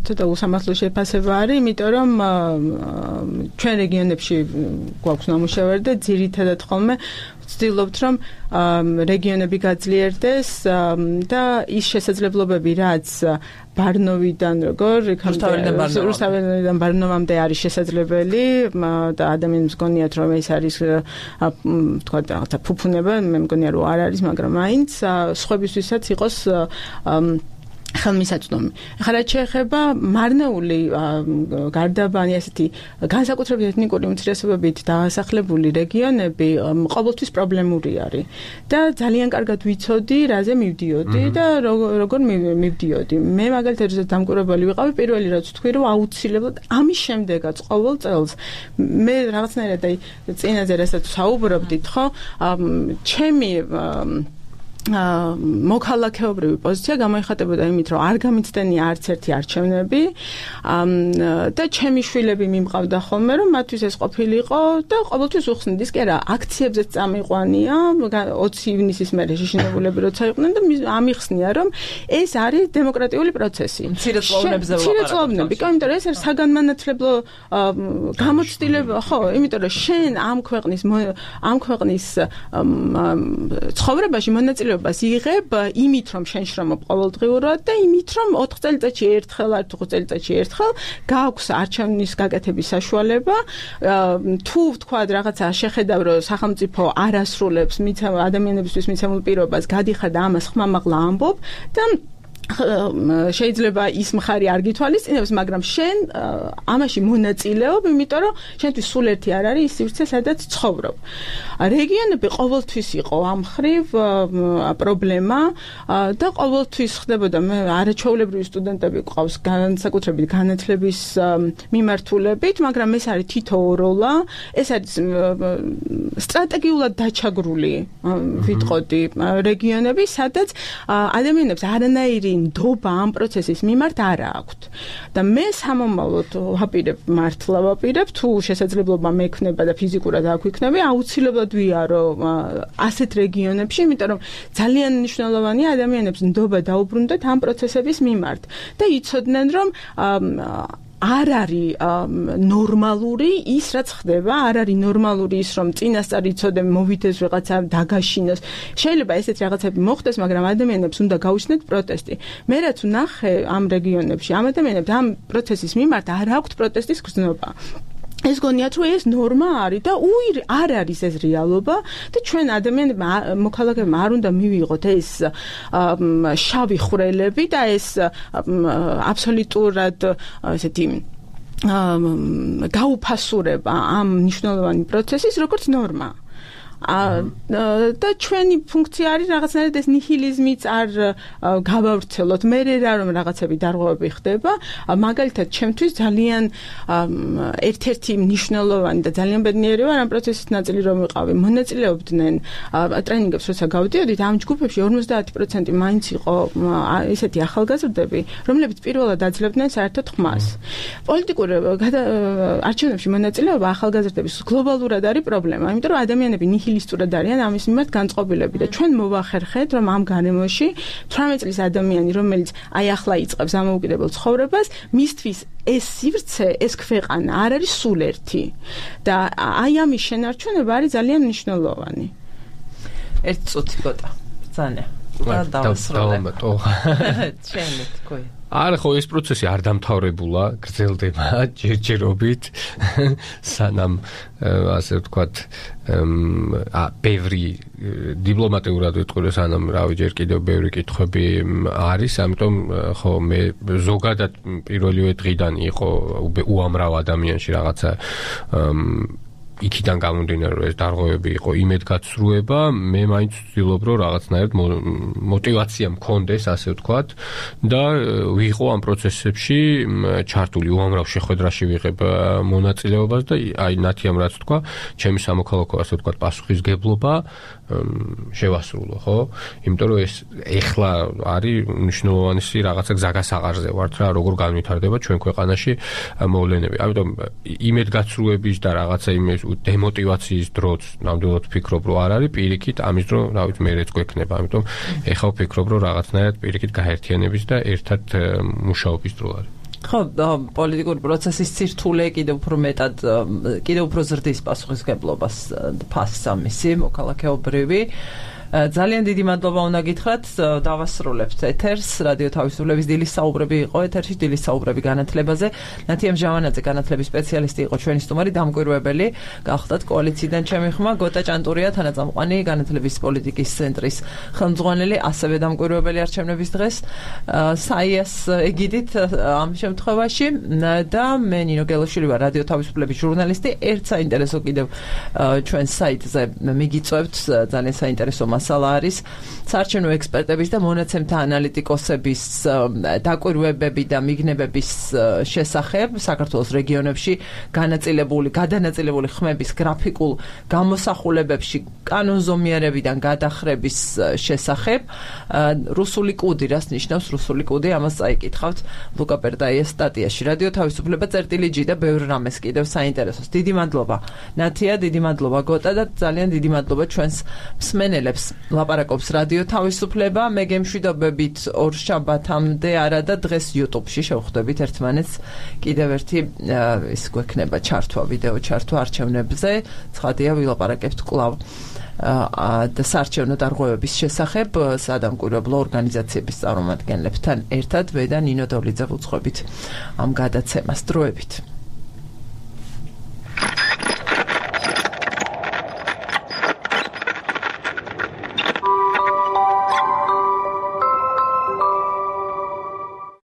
ცოტა უსამართლო შეფასება არის, იმიტომ რომ ჩვენ რეგიონებში გვაქვს ნამუშევარი და ძირითადად ხოლმე ვცდილობთ რომ რეგიონები გაძლიერდეს და ის შესაძლებლობები რაც ბარნოვიდან როგორ რუსთავიდან ბარნოვამდე არის შესაძლებელი და ადამიანებს გონიათ რომ ეს არის თქვა და ფუფუნება მე მგონია რომ არ არის მაგრამ მაინც სხვებისთვისაც იყოს ხელმისაწვდომი. ახლა რაც შეეხება მარნეული გარდაბანი ასეთი განსაკუთრებით ეთნიკური უმცირესობებით დასახლებული რეგიონები ყოველთვის პრობლემური არის და ძალიან კარგად ვიცოდი რაზე მივდიოდი და როგორ მივდიოდი. მე მაგალითად როდესაც დამკვირვებელი ვიყავი პირველი რაც ვთქვი რომ აუცილებლად ამის შემდეგაც ყოველ წელს მე რაღაცნაირად აი წინაზე რასაც საუბრობდით ხო ჩემი მოქალაქეობრივი პოზიცია გამოიხატებოდა იმით, რომ არ გამიცდენია არც ერთი არჩევნები და ჩემი შვილები მიმყავდა ხოლმე, რომ მათთვის ეს ყოფილიყო და ყოველთვის უხსნით ის კი არა, აქციებზეც წამიყვანია, ოცი ივნისის მერე შეშინებულები როცა იყვნენ და ამიხსნია, რომ ეს არის დემოკრატიული პროცესი. მცირეწლოვნებზე მცირეწლოვნები, კი, იმიტომ რომ ეს არის საგანმანათლებლო გამოცდილება, ხო, იმიტომ რომ შენ ამ ქვეყნის ამ ქვეყნის ცხოვრებაში მონაწილე იღებ იმით რომ შენ შრომობ ყოველდღიურად და იმით რომ ოთხ წელიწადში ერთხელ არ თუ ხუთ წელიწადში ერთხელ გააქვს არჩევნის გაკეთების საშუალება თუ თქვა რაღაცა შეხედავ რომ სახელმწიფო არ ასრულებს ადამიანებისთვის მიცემულ პირობას გადიხარ და ამას ხმამაღლა ამბობ და შეიძლება ის მხარი არ გითვალისწინებს, მაგრამ შენ ამაში მონაწილეობ, იმიტომ რომ შენთვის სულ ერთი არ არის ის სივრცე, სადაც ცხოვრობ. რეგიონები ყოველთვის იყო ამ მხრივ პრობლემა და ყოველთვის ხდებოდა მე არაჩვეულებრივი სტუდენტები გვყავს განსაკუთრებით განათლების მიმართულებით, მაგრამ ეს არის თითოეულა, ეს არის სტრატეგიულად დაჩაგრული ვიტყოდი რეგიონები, სადაც ადამიანებს არანაირი ნდობა ამ პროცესის მიმართ არ აქვთ. და მე სამომავლოდ ვაპირებ მართლა ვაპირებ თუ შესაძლებლობა მექნება და ფიზიკურად არ გვიქნები, აუცილებლად ვიარო ასეთ რეგიონებში, იმიტომ რომ ძალიან მნიშვნელოვანია ადამიანებს ნდობა დაუბრუნდეთ ამ პროცესების მიმართ და იცოდნენ რომ არ არის ნორმალური ის რაც ხდება, არ არის ნორმალური ის რომ წინასწარ იცოდე მოვიდეს ვიღაცა დაგაშინოს. შეიძლება ესეთ რაღაცები მოხდეს, მაგრამ ადამიანებს უნდა გაუჩნდეთ პროტესტი. მე რაც ვნახე ამ რეგიონებში, ამ ადამიანებს ამ პროცესის მიმართ არ აქვთ პროტესტის გრძნობა. ეს გონიათ რომ ეს ნორმა არის და უი არ არის ეს რეალობა და ჩვენ ადამიანებმა მოქალაქეებმა არ უნდა მივიღოთ ეს შავი ხვრელები და ეს აბსოლუტურად ესეთი გაუფასურება ამ მნიშვნელოვანი პროცესის როგორც ნორმა. და ჩვენი ფუნქცია არის რაღაცნაირად ეს ნიჰილიზმიც არ გავავრცელოთ. მე რა რომ რაღაცები დარღვევები ხდება, მაგალითად ჩემთვის ძალიან ერთ-ერთი მნიშვნელოვანი და ძალიან ბედნიერი ვარ ამ პროცესის ნაწილი რომ ვიყავი. მონაწილეობდნენ ტრენინგებს როცა გავდიოდით ამ ჯგუფებში ორმოცდაათი პროცენტი მაინც იყო ესეთი ახალგაზრდები, რომლებიც პირველად აძლევდნენ საერთოდ ხმას. პოლიტიკურ არჩევნებში მონაწილეობა ახალგაზრდების გლობალურად არის პრობლემა, იმიტომ რომ ადამიანები ნიჰილისტურად არიან ამის მიმართ განწყობილები და ჩვენ მოვახერხეთ რომ ამ გარემოში თვრამეტ წლის ადამიანი რომელიც აი ახლა იწყებს ამოუკიდებელ ცხოვრებას მისთვის ეს სივრცე ეს ქვეყანა არ არის სულ ერთი და აი ამის შენარჩუნება არის ძალიან მნიშვნელოვანი. ერთ წუთი გოტა ბრძანა და დავასრულო ჩემი თქვი არა ხო ეს პროცესი არ დამთავრებულა, გრძელდება ჯერჯერობით, სანამ ასე ვთქვათ, ა ბევრი დიპლომატიურად ვიტყვი, სანამ რავი ჯერ კიდევ ბევრი კითხვები არის, ამიტომ ხო მე ზოგადად პირველივე დღიდან იყო უამრავ ადამიანში რაღაცა იქიდან გამომდინარე რომ ეს დარღვევები იყო იმედგაცრუება, მე მაინც ვცდილობ რომ რაღაცნაირად мотиваცია მქონდეს, ასე ვთქვათ, და ვიყო ამ პროცესებში ჩართული, უამრავ შეხვედრაში ვიღებ მონაწილეობას და აი ნათიამ რაც თქვა, ჩემი სამოქალაქო ასე ვთქვათ პასუხისგებლობა შევასრულო, ხო? იმიტომ რომ ეს ეხლა არის მნიშვნელოვანი რაღაცა გზაგასაყარზე ვართ რა, როგორ განვითარდება ჩვენ ქვეყანაში მოვლენები. ამიტომ იმედგაცრუების და რაღაცა იმის დემოტივაციის დროც ნამდვილად ვფიქრობ რომ არ არის, პირიქით ამის დრო რა ვიცი მეც გვექნება. ამიტომ ეხლა ვფიქრობ რომ რაღაცნაირად პირიქით გაერთიანების და ერთად მუშაობის დრო არის. ხო, პოლიტიკური პროცესის ცირთულე კიდევ უფრო მეტად კიდევ უფრო ზრდის პასუხისმგებლობას ფასს ამისი მოქალაქეობრივი ძალიან დიდი მადლობა უნდა გითხრათ დავასრულებთ ეთერს რადიო თავისუფლების დილის საუბრები იყო ეთერში დილის საუბრები განათლებაზე ნათია მჟავანაძე განათლების სპეციალისტი იყო ჩვენი სტუმარი დამკვირვებელი გახდათ კოალიციიდან ჩემი ხმა გოტა ჭანტურია თანაწამყვანი განათლების პოლიტიკის ცენტრის ხელმძღვანელი ასევე დამკვირვებელი არჩევნების დღეს საიას ეგიდით ამ შემთხვევაში და მე ნინო გელოშვილი ვარ რადიო თავისუფლების ჟურნალისტი ერთ საინტერესო კიდევ ჩვენ საიტზე მიგიწევთ ძალიან საინტერესო მასალა არის საარჩევნო ექსპერტების და მონაცემთა ანალიტიკოსების დაკვირვებები და მიგნებების შესახებ საქართველოს რეგიონებში განაწილებული გადანაწილებული ხმების გრაფიკულ გამოსახულებებში კანონზომიერებიდან გადახრების შესახებ რუსული კუდი რას ნიშნავს რუსული კუდი ამას წაიკითხავთ ლუკა პერტაიას სტატიაში რადიო თავისუფლება წერტილი ჯი და ბევრ რამეს კიდევ საინტერესოს დიდი მადლობა ნათია დიდი მადლობა გოტა და ძალიან დიდი მადლობა ჩვენს მსმენელებს ლაპარაკობს რადიო თავისუფლება მე გემშვიდობებით ორ შაბათამდე არა და დღეს YouTube-ში შევხვდებით ერთმანეთს კიდევ ერთი ის გვექნება ჩართვა ვიდეო ჩართვა არჩევნებზე ცხადია ვილაპარაკებთ კვლავ და საარჩევნო დარღვევების შესახებ სადამკვირვებლო ორგანიზაციების წარმომადგენლებთან ერთად მე და ნინო დოლიძე ვუძღვებით ამ გადაცემას დროებით